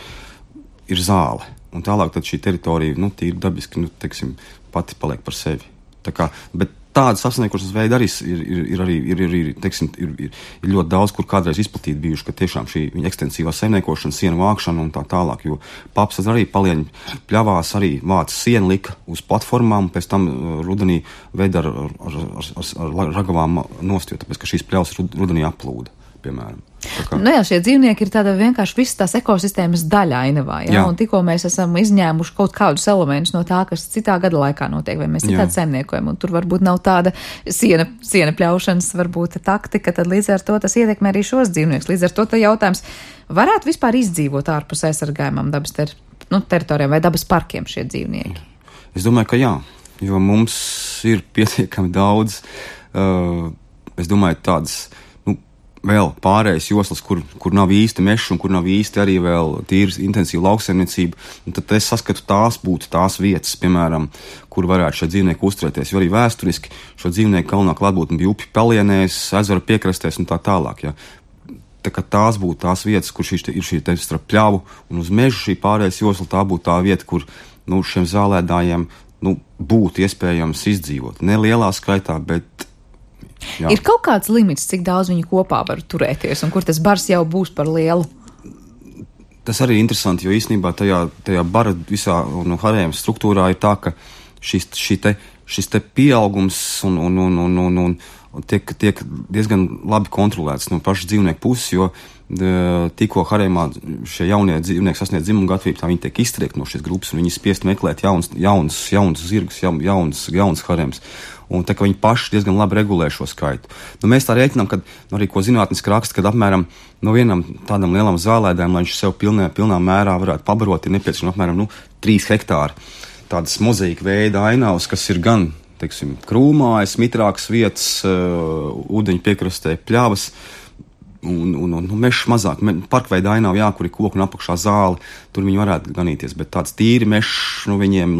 ir zāle, un tālāk tad šī teritorija, nu, tīri dabiski, nu, teiksim, pati paliek par sevi. Tā kā, bet tādas apsaimniekošanas veidi arī ir, ir, ir, arī, ir, ir, ir, teiksim, ir, ir, ir ļoti daudz, kur kādreiz izplatīti bijuši, ka tiešām šī ekstensīvā saimniekošana, sienu vākšana un tā tālāk, jo paps arī palieņu pļavās arī vāca sienu lika uz platformām, pēc tam rudenī veida ar, ar, ar, ar, ar ragavām nost, jo tāpēc, ka šīs pļavas rudenī aplūda, piemēram. Kā... Nu jā, šie dzīvnieki ir tāda vienkārši visas tās ekosistēmas daļa ainavā, jā? Jā. Un tikko mēs esam izņēmuši kaut kādus elementus no tā, kas citā gada laikā notiek, vai mēs citādi saimniekojam, un tur varbūt nav tāda siena, siena pļaušanas varbūt taktika, tad līdz ar to tas ietekmē arī šos dzīvniekus. Līdz ar to tā jautājums, varētu vispār izdzīvot ārpus aizsargājumam dabas ter, nu, teritorijām vai dabas parkiem šie dzīvnieki? Es domāju, ka jā, jo mums ir pietiekami daudz, uh, es domāju, tādas vēl pārējais joslas, kur, kur nav īsti meša un kur nav īsti arī vēl tīras intensīva lauksaimniecība, un tad es saskatu tās būtu tās vietas, piemēram, kur varētu šie dzīvnieki uzturēties, jo arī vēsturiski šo dzīvnieku galvenā klātbūtne bija upju palienēs, ezeru piekrastēs un tā tālāk, ja. Tā kā tās būtu tās vietas, kur šī ir šī te starp pļavu un uz mežu šī pārējais josla, tā būtu tā vieta, kur, nu, šiem zālēdājiem, nu, būtu iespējams izdzīvot. Ne lielā skaitā, bet jā. Ir kaut kāds limits, cik daudz viņi kopā var turēties, un kur tas bars jau būs par lielu? Tas arī ir interesanti, jo īstenībā tajā, tajā bara visā no harējuma struktūrā ir tā, ka šis, šī te, šis te pieaugums un, un, un, un, un, un tiek, tiek diezgan labi kontrolēts no pašas dzīvnieku puses, jo tikko harējumā šie jaunie dzīvnieki sasniedz dzimumu gatavību, tā viņi tiek iztriekti no šīs grupas, un viņi spiest meklēt jauns, jauns, jauns zirgus, jauns, jauns harējums. Un tā kā viņi paši diezgan labi regulē šo skaitu. Nu, mēs tā rēķinām, ka nu, arī ko zinātniski raksta, kad apmēram no vienam tādam lielam zālēdājam, lai viņš sev pilnē, pilnā mērā varētu pabarot, ir nepieciešams apmēram nu, trīs hektāri. Tādas mozaīka veida ainavas, kas ir gan, teiksim, krūmājas, mitrākas vietas, uh, ūdeņu piekrastē, pļavas, un, un, un mešs mazāk. Me, parkveida ainava, jā, kur ir koku un apakšā zāle, tur viņi varētu ganīties, bet tāds tīri mešs, nu, viņiem,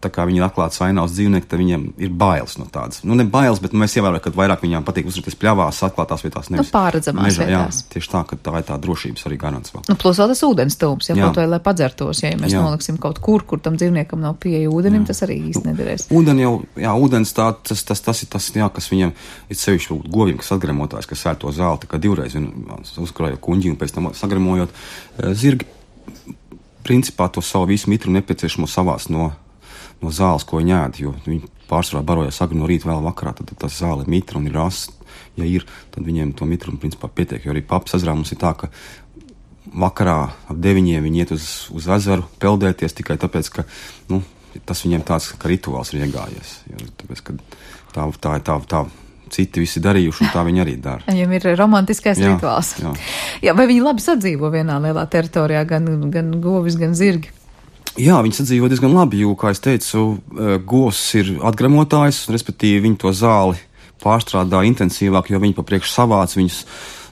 tā kā viņi ir atklāts ainavas dzīvnieki, tad viņiem ir bailes no tādas. Nu, ne bailes, bet nu, mēs ievērojam, ka vairāk viņām patīk uzturēties pļavās, atklātās vietās, nevis nu, pārredzamās mežā, vietās. Jā, tieši tā, ka tā ir tā drošības arī garants vēl. Nu, plus vēl tas ūdens tūms, ja kaut vai, lai padzertos, ja mēs jā. Noliksim kaut kur, kur tam dzīvniekam nav pieeja ūdenim, jā. Tas arī īsti nederēs. Ūdeni jau, jā, ūdens tā, tas, tas, tas ir tas, jā, kas viņam ir sevišķi goviem, kas atgremotājs, kas sēr to zāli, tā kā divreiz uzkrājot kuņģi un pēc tam sagremojot zirgi. principā to savu visu mitru nepieciešamo savās no, no zāles, ko viņi ēd, jo viņi pārsvarā barojas agri no rīta vēl vakarā, tad, tad tas zāle ir mitra un ir rasts. Ja ir, tad viņiem to mitru principā pietiek, jo arī papas ezerā mums ir tā, ka vakarā ap deviņiem viņi iet uz, uz ezeru peldēties tikai tāpēc, ka, nu, tas viņiem tāds, ka rituāls ir iegājies, jo tāpēc, ka tā, tā, tā, tā citi visi darījuši, un tā viņi arī dara. Viņam ir romantiskais jā, rituāls. Jā. Jā, vai viņi labi sadzīvo vienā lielā teritorijā, gan, gan govis, gan zirgi? Jā, viņi sadzīvo diezgan labi, jo, kā es teicu, govs ir atgremotājs, respektīvi viņi to zāli pārstrādā intensīvāk, jo viņi pa priekš savāc, viņus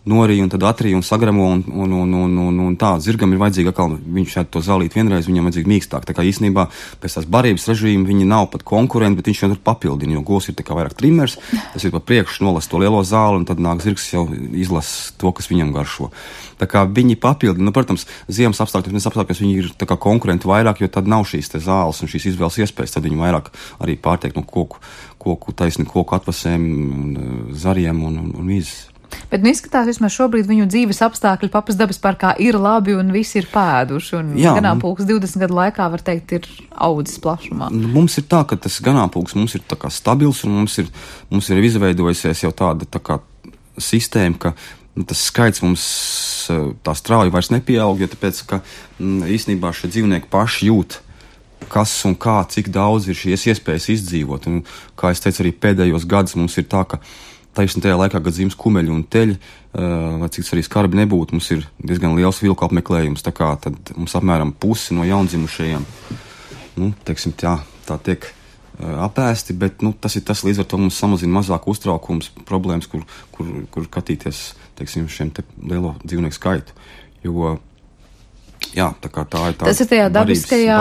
norīja un tad atrīja un sagremo un, un, un, un, un, un tā. Zirgam ir vajadzīga atkal, viņš šeit to zālīt vienreiz, viņam vajadzīga mīkstāk. Tā kā īstenībā pēc tās barības režīma viņi nav pat konkurenti, bet viņš jau tur papildina, jo govs ir tā kā vairāk trimers, tas ir pa priekšu nolas to lielo zāli un tad nāk zirgs jau izlas to, kas viņam garšo. Tā kā viņi papildina, nu, protams, ziemas apstākļos, mēs apstākļos viņi ir tā kā konkurenti vairāk, jo tad nav šīs te zāles un šīs izvēles iespējas, tad viņi vairāk arī pārtiek no koku, koku taisni koku atvasēm un zariem un, un, un vīzes. Bet nu izskatās, vismaz šobrīd viņu dzīves apstākļi Papas dabas parkā ir labi un visi ir pēduši. Un ganāmpulks divdesmit gadu laikā, var teikt, ir audzis plašumā. Mums ir tā, ka tas ganāmpulks mums ir tā kā stabils un mums ir, mums ir izveidojusies jau tāda tā kā sistēma, ka nu, tas skaits mums tā strauji vairs nepieaug, jo tāpēc, ka m, īstenībā šie dzīvnieki paši jūt, kas un kā, cik daudz ir šīs iespējas izdzīvot. Un, kā es teicu, arī pēdējos gadus mums ir tā, ka taisni tajā laikā, kad zīmes kumeļi un teļi, uh, vai cik arī skarbi nebūtu, mums ir diezgan liels vilku apmeklējums, tā kā tad mums apmēram pusi no jaundzimušajiem, nu, teiksim, tā, tā tiek uh, apēsti, bet, nu, tas ir tas, līdz ar to mums samazina mazāk uztraukums, problēmas, kur, kur, kur katīties, teiksim, šiem te lielo dzīvnieku skaitu, jo, jā, tā kā tā ir tā. Tas ir tajā dabiskajā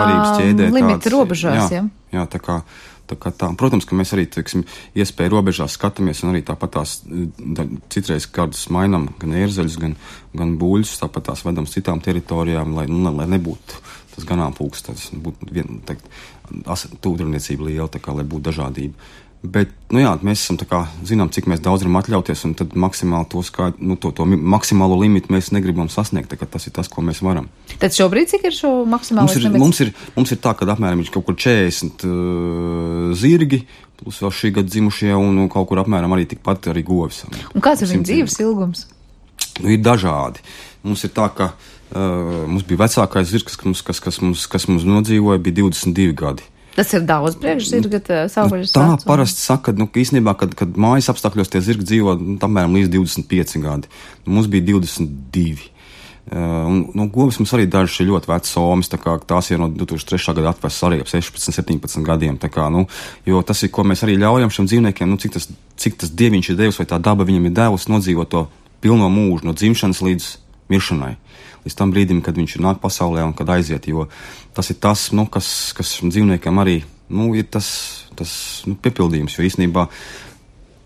limita robežās, jā? Jā, tā kā Tā kā tā, protams, ka mēs arī, teiksim, iespēju robežās skatāmies un arī tāpat tās da, citreiz kādus mainam gan ērzeļus, gan, gan buļļus, tāpat tās vedam citām teritorijām, lai, nu, lai nebūtu tas ganāmpulks, tas būtu vien, tā, tūdrniecība liela, tā kā, lai būtu dažādība. Bet, nu jā, mēs esam tā kā, zinām, cik mēs daudz varam atļauties, un tad maksimāli to skait, nu, to, to maksimālo limitu mēs negribam sasniegt, tā kā tas ir tas, ko mēs varam. Tad šobrīd cik ir šo maksimālo limits? Mums ir, mums ir tā, ka apmēram ir kaut kur četrdesmit uh, zirgi, plus vēl šī gada dzimušie, un, un kaut kur apmēram arī tikpat arī govis. Un kāds ir viņa dzīves ilgums? Nu, ir dažādi. Mums ir tā, ka uh, mums bija vecākais zirgs, kas, kas, kas, mums, kas mums nodzīvoja, bija divdesmit divi gadi. Tas ir daudz priekš zirga savvaļas tā vecuma. Parasti saka, nu, ka īstenībā, kad, kad mājas apstākļos tie zirgi dzīvo, nu, apmēram līdz divdesmit pieci gadi. Mums bija divdesmit divi. Uh, un, nu, govis mums arī dažas ir ļoti vecas somas, tā kā tās ir no divtūkstoš trešā gada atvests arī ap sešpadsmit, septiņpadsmit gadiem, tā kā, nu, jo tas ir, ko mēs arī ļaujam šiem dzīvniekiem, nu, cik tas, cik tas dieviņš ir devis vai tā daba viņam ir devusi nodzīvot to pilno mūžu, no dzimšanas līdz miršanai. Līdz tam brīdim, kad viņš ir nāk pasaulē un kad aiziet, jo tas ir tas, nu, kas, kas dzīvniekiem arī, nu, ir tas, tas, nu, piepildījums, jo īstenībā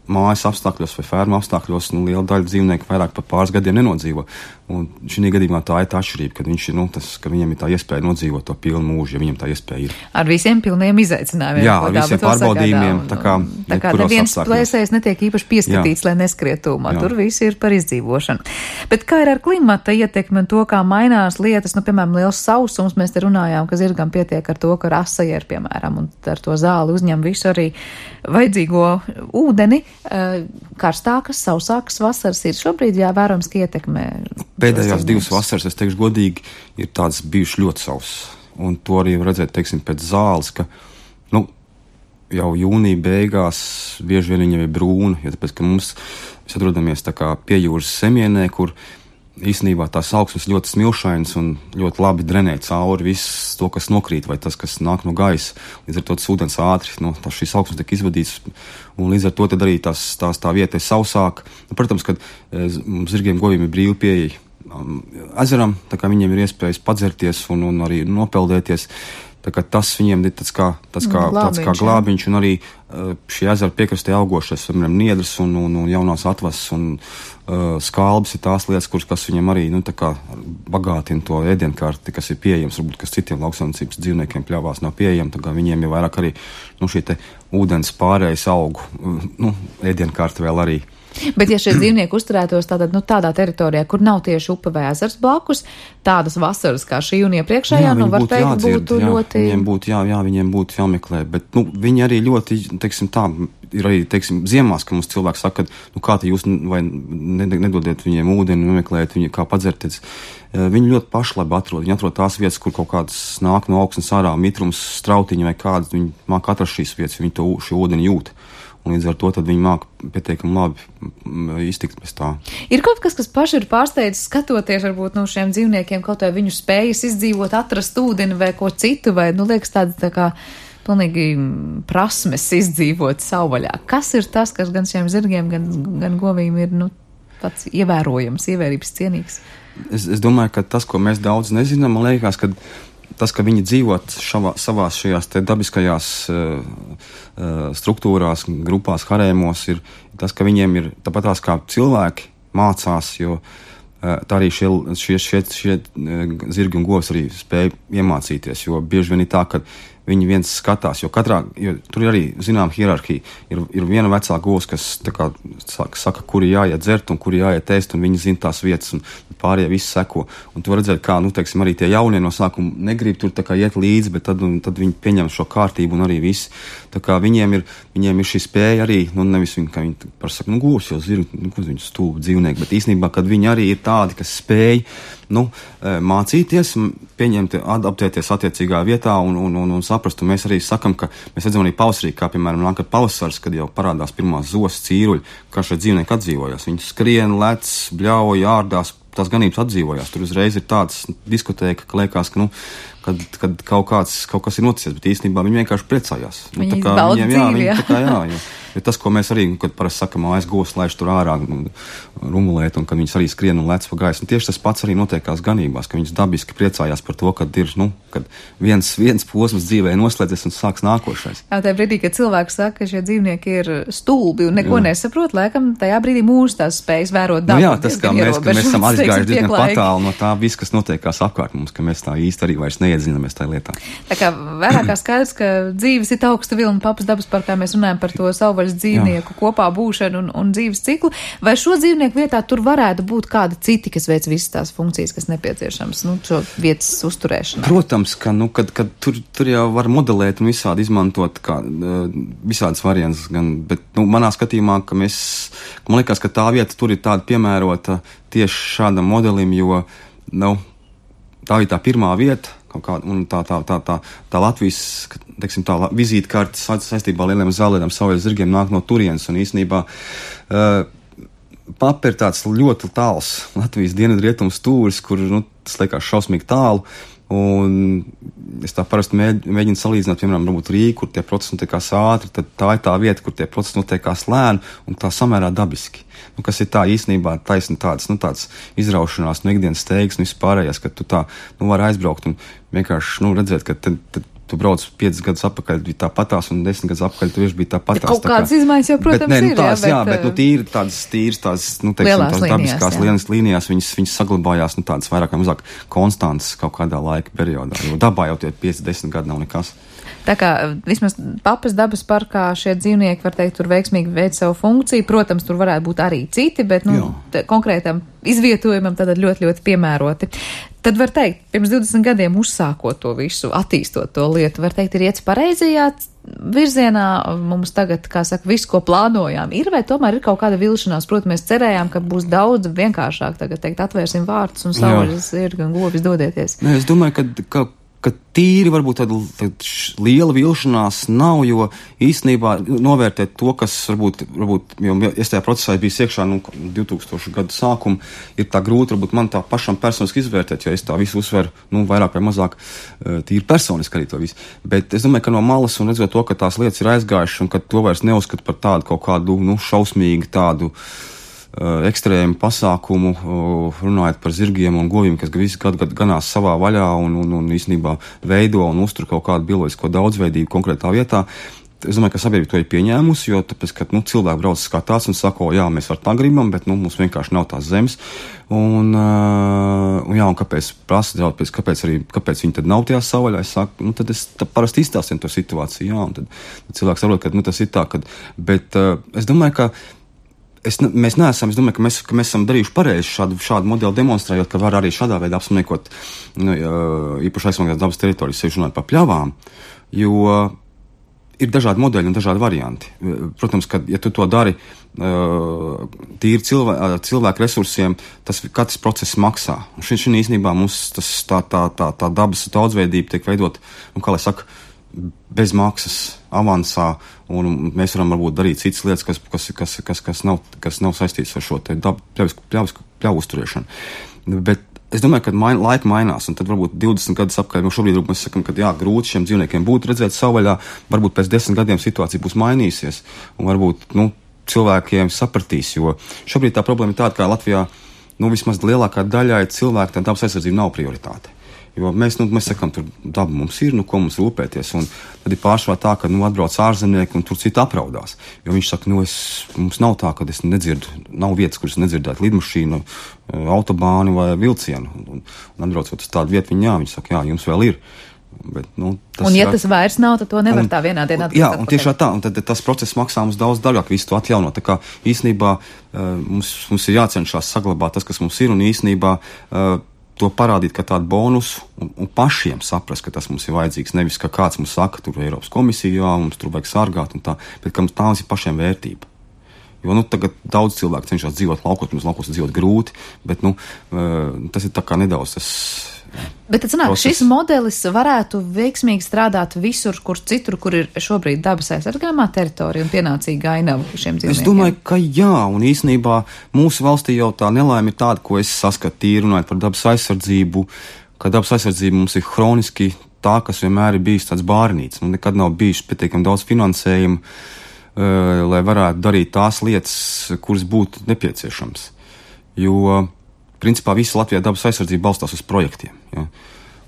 mājas apstākļos vai fermu apstākļos, nu, liela daļa dzīvnieku vairāk par pāris gadiem nenodzīvo. Un šī gadījumā tā ir tā atšķirība, kad viņš ir, nu, tas, ka viņam ir tā iespēja nodzīvot to pilnu mūžu, ja viņam tā iespēja ir. Ar visiem pilniem izaicinājumiem. Jā, ar visiem pārbaudījumiem, tā kā, tā kā neviens plēsējs netiek īpaši pieskatīts, jā, lai neskriet tūmā. Tur viss ir par izdzīvošanu. Bet kā ir ar klimata ietekmi un to, kā mainās lietas, nu, piemēram, liels sausums, mēs te runājām, ka zirgam pietiek ar to, ka rasa ir, piemēram, un ar to zāli uzņem visu arī vajadzīgo ūdeni. Karstākas, sausākas vasaras ir šobrīd jāvērojams, ka ietekmē. Pēdējās divas vasaras, es teikšu godīgi, ir tādas bijušas ļoti sausas. Un to arī var redzēt, teiksim, pēc zāles, ka, nu, jau jūnija beigās bieži vien viņa ir brūna, jo tāpēc, ka mums mēs atrodamies tā kā pie jūras semienē, kur īstenībā tās augsnes ļoti smilšainas un ļoti labi drenē cauri viss to, kas nokrīt, vai tas, kas nāk no gaisa. Līdz ar to tas ūdens ātri, no tā šīs augsnes tiek izvadīts, un līdz ar to tad arī tās, tās tā vieta ir sausāka. Nu, protams, kad mums zirgiem goviem ir brīvi pieeja um, ezeram, tā kā viņiem ir iespējas padzerties un, un arī nopeldēties. Tā kā tas viņiem ir tāds kā, tāds kā, glābiņš, tāds kā glābiņš, un arī uh, šī ezera piekrastē augošais, piemēram, niedras un, un, un jaunās atvases un uh, skalbas ir tās lietas, kuras, kas viņiem arī, nu, tā kā bagātina to ēdienkarti, kas ir pieejams, varbūt, kas citiem lauksaimniecības dzīvniekiem pļavās nav pieejama, tā kā viņiem ir vairāk arī, nu, šī te ūdens pārējais augu, uh, nu, ēdienkarti vēl arī Bet, ja šie dzīvnieki uzturētos tātad, nu, tādā teritorijā, kur nav tieši upe vai ezers blakus, tādas vasaras kā šī un iepriekšējā, nu, var teikt, jādzird, būtu jā, ļoti... Viņiem būtu, jā, jā, viņiem būtu jāmeklē, bet, nu, viņi arī ļoti, teiksim tā, ir arī, teiksim, ziemās, ka mums cilvēks saka, nu, kā te jūs vai nedodiet viņiem ūdeni, nemeklējat viņu, kā padzerties. Viņi ļoti pašlabi atrod, viņi atrod tās vietas, kur kaut kādas nāk no augsnes ārā, mitrums, strautiņi vai kādas, viņi māk atrast šīs vietas, viņi to šo ūdeni jūt. Un līdz ar to tad viņi māk pietiekami labi iztikt bez tā. Ir kaut kas, kas paši ir pārsteidzis skatoties varbūt no šiem dzīvniekiem, kaut vai viņu spējas izdzīvot, atrast ūdeni vai ko citu, vai, nu, liekas tāds tā kā pilnīgi prasmes izdzīvot savvaļā. Kas ir tas, kas gan šiem zirgiem, gan, gan govīm ir, nu, tāds ievērojams, ievērības cienīgs? Es, es domāju, ka tas, ko mēs daudz nezinām, man liekas, ka tas, ka viņi dzīvot šavā, savās šajās te dabiskajās uh, uh, struktūrās, grupās, harēmos, ir tas, ka viņiem ir tāpatās kā cilvēki mācās, jo uh, tā arī šie, šie, šie, šie uh, zirgi un govs arī spēja iemācīties, jo bieži vien ir tā, ka viņi viens skatās, jo katrā, jo tur ir arī, zinām, hierarhija. Ir, ir viena vecā govs, kas tā kā saka, saka, kuri jāiet dzert un kuri jāiet ēst, un viņi zina tās vietas, un pārējie visi seko. Un tu var redzēt, kā, nu, teiksim, arī tie jaunie no sākuma negrib tur tā kā iet līdzi, bet tad, un, tad viņi pieņem šo kārtību un arī visi. Tā kā viņiem ir, viņiem ir šī spēja arī, nu, nevis viņi, kā viņi par saka, nu, govs jau zirgi, nu, ko viņi stūbi dzīvnieki, bet īstenībā, kad viņi arī ir tādi, kas spēj, nu, mācīties, pieņemt, adaptēties attiecīgā vietā un, un, un, un saprast. Un mēs arī sakam, ka mēs redzam arī pavasarī, kā piemēram nāk pavasars, kad jau parādās pirmās zosas, cīruļi, kā šie dzīvnieki atdzīvojās. Viņi skrien, lec, bļauj, ārdās, tās ganības atdzīvojās. Tur uzreiz ir tāds diskotēka, ka liekas, ka, nu, kad, kad kaut, kāds, kaut kas ir noticies, bet īstenībā viņi vienkārši priecājās. Viņi nu, tā kā bauda viņiem, dzīvi, jā, viņi, jā. tā kā, jā, jā. Bet tas, ko mēs arī, kad parasti sakam, aiz govs laiž tur ārā rumulēt, un kad viņas arī skrien un lec pa gaisu, un tieši tas pats arī notiekās ganībās, ka viņas dabiski priecājās par to, kad ir, nu, kad viens, viens posms dzīvē noslēdzies un sāks nākošais. Jā, tajā brīdī, kad cilvēks saka, ka šie dzīvnieki ir stulbi un neko jā. nesaprot, laikam tajā brīdī mūsu tās spējas vērot dabu. Nu jā, tas, kā mēs, ka mēs esam aizgājuši diezgan patālu no tā viss, kas notiekās apkārt mums, ka mēs tā īsti arī vairs neiedzinamies tajā lietā. Tā kā vairāk kā skaidrs, ka dzīves ir augsta vilna Papas dabas parkā, mēs runājam par to savvaļas dzīvnieku jā. kopā būšanu un, un dzīves ciklu. Vai šo dzīvnieku vietā tur varētu būt kādi citi, kas veic visas tās funkcijas, kas nepieciešams, nu, šo vietas uzturēšanu? Protams, ka, nu, kad, kad tur, tur jau var modelēt un visādi izmantot kā, visādas variantas, gan, bet, nu, manā skatījumā, ka mēs, man liekas, ka tā vieta tur ir tāda piemērota tieši šādam modelim, jo, nu, tā ir tā pirmā vieta, kaut kā, un tā, tā, tā, tā, tā Latvijas, teiksim, tā vizītkartes saistībā ar lieliem zālēdām savvaļas zirgiem nāk no turienes, un īstenībā uh, Papa ir tāds ļoti tāls Latvijas dienvidrietumu stūris, kur, nu, tas liekas šausmīgi tālu, un es tā parasti mēģ, mēģinu salīdzināt, piemēram, varbūt Rīgu, kur tie procesi notiekās ātri, tad tā ir tā vieta, kur tie procesi notiekās lēni un tā samērā dabiski. Nu, kas ir tā īstenībā taisni tāds, nu, tāds izraušanās no ikdienas steigas un vispārējās, ka tu tā, nu, vari aizbraukt un vienkārši, nu, redzēt, ka tad, tad tu brauc piecus gadus atpakaļ, bija tā patās, un desmit gadus atpakaļ tu bija tā patās. Kaut kādas izmaiņas jau, protams, bet, ne, nu, tās, ir, jā, jā, bet, bet, nu, tīri tādas, tīras tās, nu, teiksim, tās dabiskās lielas līnijās, viņas, viņas saglabājās, nu, tādas vairāk vai mazāk konstantas kaut kādā laika periodā, jo dabā jau tie pieci desmit gadi nav nekas. Tā kā vismaz Papas dabas parkā šie dzīvnieki, var teikt, tur veiksmīgi veic savu funkciju. Protams, tur varētu būt arī citi, bet, nu, konkrētam izvietojumam tad ļoti, ļoti piemēroti. Tad var teikt, pirms divdesmit gadiem uzsākot to visu, attīstot to lietu, var teikt, ir iets pareizajā virzienā. Mums tagad, kā saka, visu, ko plānojām, ir, vai tomēr ir kaut kāda vilšanās? Protams, mēs cerējām, ka būs daudz vienkāršāk tagad teikt, atvērsim vārtus un savvaļas zirgi un govis dodieties. Nē, es domāju, ka, ka ka tīri varbūt tāda, tāda liela vilšanās nav, jo īstenībā novērtēt to, kas varbūt, varbūt jo es tajā procesā biju iekšā, nu, divtūkstošu gadu sākumu, ir tā grūti, varbūt man tā pašam personiski izvērtēt, jo es tā visu uzsveru, nu, vairāk vai mazāk tīri personiski arī to visu. Bet es domāju, ka no malas un redzot to, ka tās lietas ir aizgājušas un ka to vairs neuzskat par tādu kaut kādu, nu, šausmīgu tādu ekstrēmu pasākumu, runājot par zirgiem un goviem, kas visi gadu gadu ganās savā vaļā un, un, un īstenībā veido un uztur kaut kādu bioloģisko daudzveidību konkrētā vietā. Es domāju, ka sabiedrība to ir pieņēmusi, jo tāpēc, ka, nu, cilvēki brauc skatās un saka, o, jā, mēs var tā gribam, bet, nu, mums vienkārši nav tās zemes. Un, uh, un jā, un kāpēc prasa draudz, kāpēc arī, kāpēc viņi tad nav tajā savvaļā? Es saku, nu, tad es tā parasti izstāstiem to situāciju, jā, un tad, tad cilvēks saprot, ka, nu, tas ir tā, kad, bet uh, es domāju, ka Es, mēs neesam, es domāju, ka mēs, ka mēs esam darījuši pareizi šādu, šādu modeli demonstrējot, ka var arī šādā veidā apsaimniekot nu, īpaši aizsargātās dabas teritorijas, sevišķi runāt par pļavām, jo ir dažādi modeļi un dažādi varianti. Protams, ka, ja tu to dari tīri cilvē, cilvēku resursiem, tas katrs process maksā. Un šī, šī īstenībā mums tas, tā, tā, tā, tā dabas daudzveidība tiek veidot, nu, kā lai saka, bez maksas, avansā, un mēs varam varbūt darīt citas lietas, kas, kas, kas, kas, kas, nav, kas nav saistīts ar šo te dabu, pļavisku, pļavisku, pļavu uzturēšanu. Bet es domāju, ka main, laika mainās, un tad varbūt divdesmit gadus apkārt, jo šobrīd mēs sakam, ka jā, grūti šiem dzīvniekiem būtu redzēt savvaļā, varbūt pēc desmit gadiem situācija būs mainīsies, un varbūt, nu, cilvēkiem sapratīs, jo šobrīd tā problēma ir tāda, ka Latvijā, nu, vismaz lielākā daļai cilvēku tā dabas aizsardzība nav prioritāte. Jo mēs, nu, mēs sakam, tur daba mums ir, nu, ko mums rūpēties, un tad ir pārsvarā tā, ka, nu, atbrauc ārzemnieki, un tur citi apraudās. Jo viņš saka, nu, es, mums nav tā, ka es nedzirdu, nav vietas, kuras nedzirdētu lidmašīnu, autobāni vai vilcienu. Un, un atbraucot uz tādu vietu, viņi, jā, viņi saka, jā, jums vēl ir. Bet, nu, tas un, ja ir, tas vairs nav, tad to nevar un, tā vienā dienā atpakaļ. Jā, un tieši tā, un tad tas process maksā mums daudz dārgāk visu to atjaunot. Tā kā īstenībā mums, mums ir jācenšas saglabāt tas, kas mums ir, un īstenībā to parādīt kā tādu bonusu un, un pašiem saprast, ka tas mums ir vajadzīgs. Nevis, ka kāds mums saka, tur Eiropas komisija, jā, mums tur vajag sargāt un tā, bet ka mums tā mums ir pašiem vērtība. Jo, nu, tagad daudz cilvēku cenšas dzīvot laukos, mums laukos dzīvot grūti, bet, nu, tas ir tā kā nedaudz tas. Bet tad sanāk, šis modelis varētu veiksmīgi strādāt visur, kur citur, kur ir šobrīd dabas aizsargājumā teritorija un pienācīga ainava šiem dzīvniekiem. Es domāju, ka jā, un īstenībā mūsu valstī jau tā nelaime ir tāda, ko es saskatu tīri runājot par dabas aizsardzību, ka dabas aizsardzība mums ir hroniski tā, kas vienmēr ir bijis tāds bārnīts, un nekad nav bijis pietiekami daudz finansējumu, uh, lai varētu darīt tās lietas, kuras būtu nepieciešams. Jo principā visa Latvijā dabas aizsardzība balstās uz projektiem. Ja?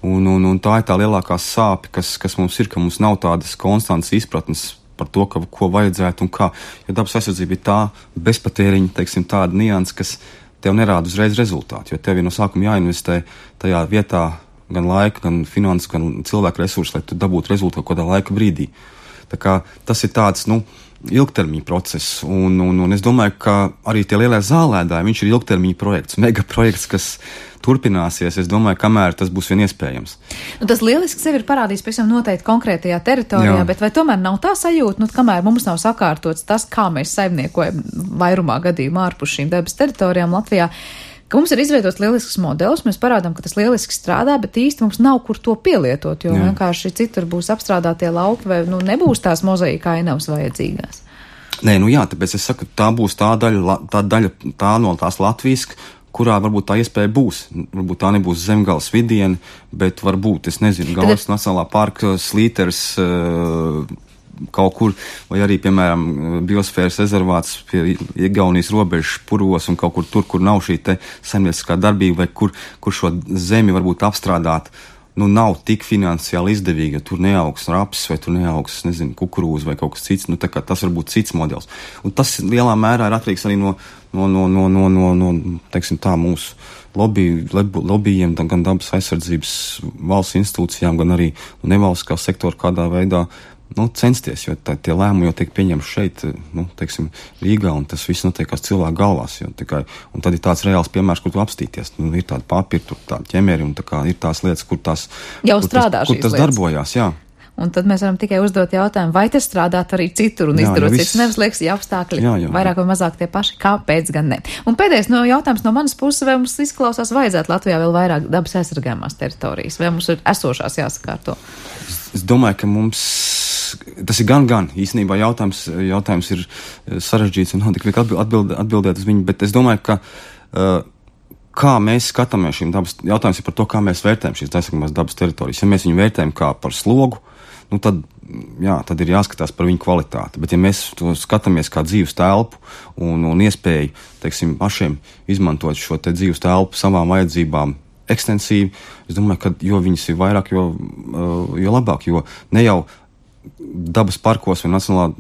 Un, un, un tā ir tā lielākā sāpe, kas, kas mums ir, ka mums nav tādas konstantas izpratnes par to, ka, ko vajadzētu un kā. Ja dabas aizsardzība ir tā bezpatēriņa, teiksim, tāda nianses, kas tev nerāda uzreiz rezultātu, jo tev ir no sākuma jāinvestē tajā vietā gan laika, gan finanses, gan cilvēku resursus, lai tu dabūtu rezultātu kādā laika brīdī. Tā kā tas ir tāds, nu, ilgtermiņa process, un, un, un es domāju, ka arī tie lielie zālēdāji, viņš ir ilgtermiņa projekts, mega projekts, kas turpināsies, es domāju, kamēr tas būs vien iespējams. Nu, tas lieliski sevi ir parādījis pavisam noteikti konkrētajā teritorijā, jā. Bet vai tomēr nav tā sajūta, nu, kamēr mums nav sakārtots tas, kā mēs saimniekojam vairumā gadījumā ārpus šīm dabas teritorijām Latvijā, ka mums ir izveidots lielisks modelis, mēs parādām, ka tas lieliski strādā, bet īsti mums nav kur to pielietot, jo jā. Vienkārši citur būs apstrādātie lauki vai nu, nebūs tās mozaīka ainavas vajadzīgās. Nē, nu jā, tāpēc es saku, tā būs tā daļa, tā daļa tā no tās Latvijas, kurā varbūt tā iespēja būs. Varbūt tā nebūs Zemgales vidiena, bet varbūt, es nezinu, Gaujas Tad... Nacionālā parka Slīters uh, kaut kur, vai arī, piemēram, biosfēras rezervāts pie Igaunijas robežas Purvos un kaut kur tur, kur nav šī te saimnieciskā darbība, vai kur, kur šo zemi varbūt apstrādāt, nu, nav tik finansiāli izdevīgi, jo tur neaugs raps, vai tur neaugs, nezinu, kukurūza vai kaut kas cits, nu, tā kā tas var būt cits modelis. Un tas lielā mērā ir atkarīgs arī no, no, no, no, no, no, no teiksim tā, mūsu lobby, lobbyiem, gan dabas aizsardzības valsts institūcijām, gan arī nevalstiskā sektora kādā veidā, nu, censties, jo tā, tie lēmumi jau tiek pieņemti šeit, nu, teiksim, Rīgā, un tas viss notiekās cilvēku galvās, jo tikai, un tad ir tāds reāls piemērs, kur tu apstīties, nu, ir tādi papiri, tur tādi ķemeri, un tā kā ir tās lietas, kur tās, jau kur strādā tas, kur tas lietas. Darbojās, jā. Un tad mēs varam tikai uzdot jautājumu, vai tas strādāt arī citur un jā, izdarot cits, nevis liekas, ja apstākļi jā, jā, vairāk vai mazāk tie paši, kāpēc gan ne. Un pēdējais no jautājums no manas puses, vai mums izklausās vajadzētu Latvijā vēl vairāk dabas aizsargājumās teritorijas, vai mums ir esošās jāsakārto? Es, es domāju, ka mums tas ir gan, gan. Īstenībā jautājums, jautājums ir sarežģīts un nav tik viegli atbild, atbildēt uz viņu, bet es domāju, ka uh, kā mēs skatāmies šīm dabas, jautājums ir par to, kā mēs vērtējam šīs aizsargājamās dabas teritorijas. Ja mēs viņu vērtējam kā par slogu, nu tad, jā, tad ir jāskatās par viņu kvalitāti. Bet ja mēs to skatāmies kā dzīves telpu un, un iespēju, teiksim, pašiem izmantot šo te dzīves telpu savām vajadzībām ekstensīvi, es domāju, ka jo viņas ir vairāk, jo, uh, jo labāk, jo ne jau dabas parkos vai, nacionālā,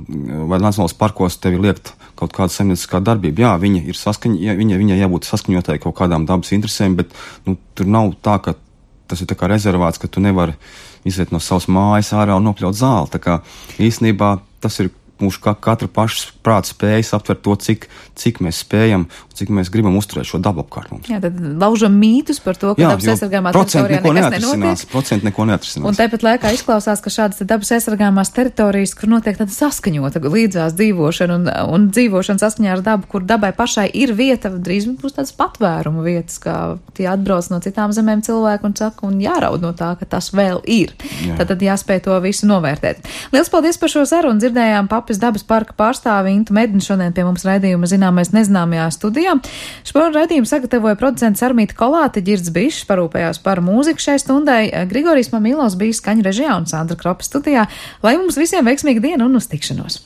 vai nacionālās parkos tev ir liekt kaut kāda saimnieciskā darbība. Jā, viņa ir saskaņa, viņa, viņa jābūt saskaņotai kaut kādām dabas interesēm, bet, nu, tur nav tā, ka tas ir tā kā rezervāts, ka tu nevari iziet no savas mājas ārā un nopļaut zāli. Tā kā īstenībā tas ir mūsu ka, katra paša prāta spējas aptvert to, cik, cik mēs spējam, cik mēs gribam uzturēt šo dabu apkārt mums. Jā, tad laužam mītus par to, ka Jā, dabas aizsargājumā teritorijā nekas nenotiek. Procenti neko neatrisinās. Un tāpat laikā izklausās, ka šādas dabas aizsargājumās teritorijas, kur notiek tāda saskaņota līdzās dzīvošana un, un dzīvošana saskaņā ar dabu, kur dabai pašai ir vieta, drīz būs tādas patvērumu vietas, kā tie atbrauc no citām zemēm cilvēku un saka, un jāraud no tā, ka tas vēl ir. Jā. Tad, tad jāspēj to visu novērtēt. Liels paldies par šo sarunu. Dzirdējām Papes dabas parka pārstāvi Intu Medni šodien pie mums raidījuma Zināmais nezināmajā studijā. Šo raidījumu sagatavoja producents Armīta Kolāte, Ģirds Bišs parūpējās par mūziku šai stundai, Grigorijs Mamīlos bija skaņu režijā un Sandra Kropa studijā. Lai mums visiem veiksmīga diena un uz tikšanos!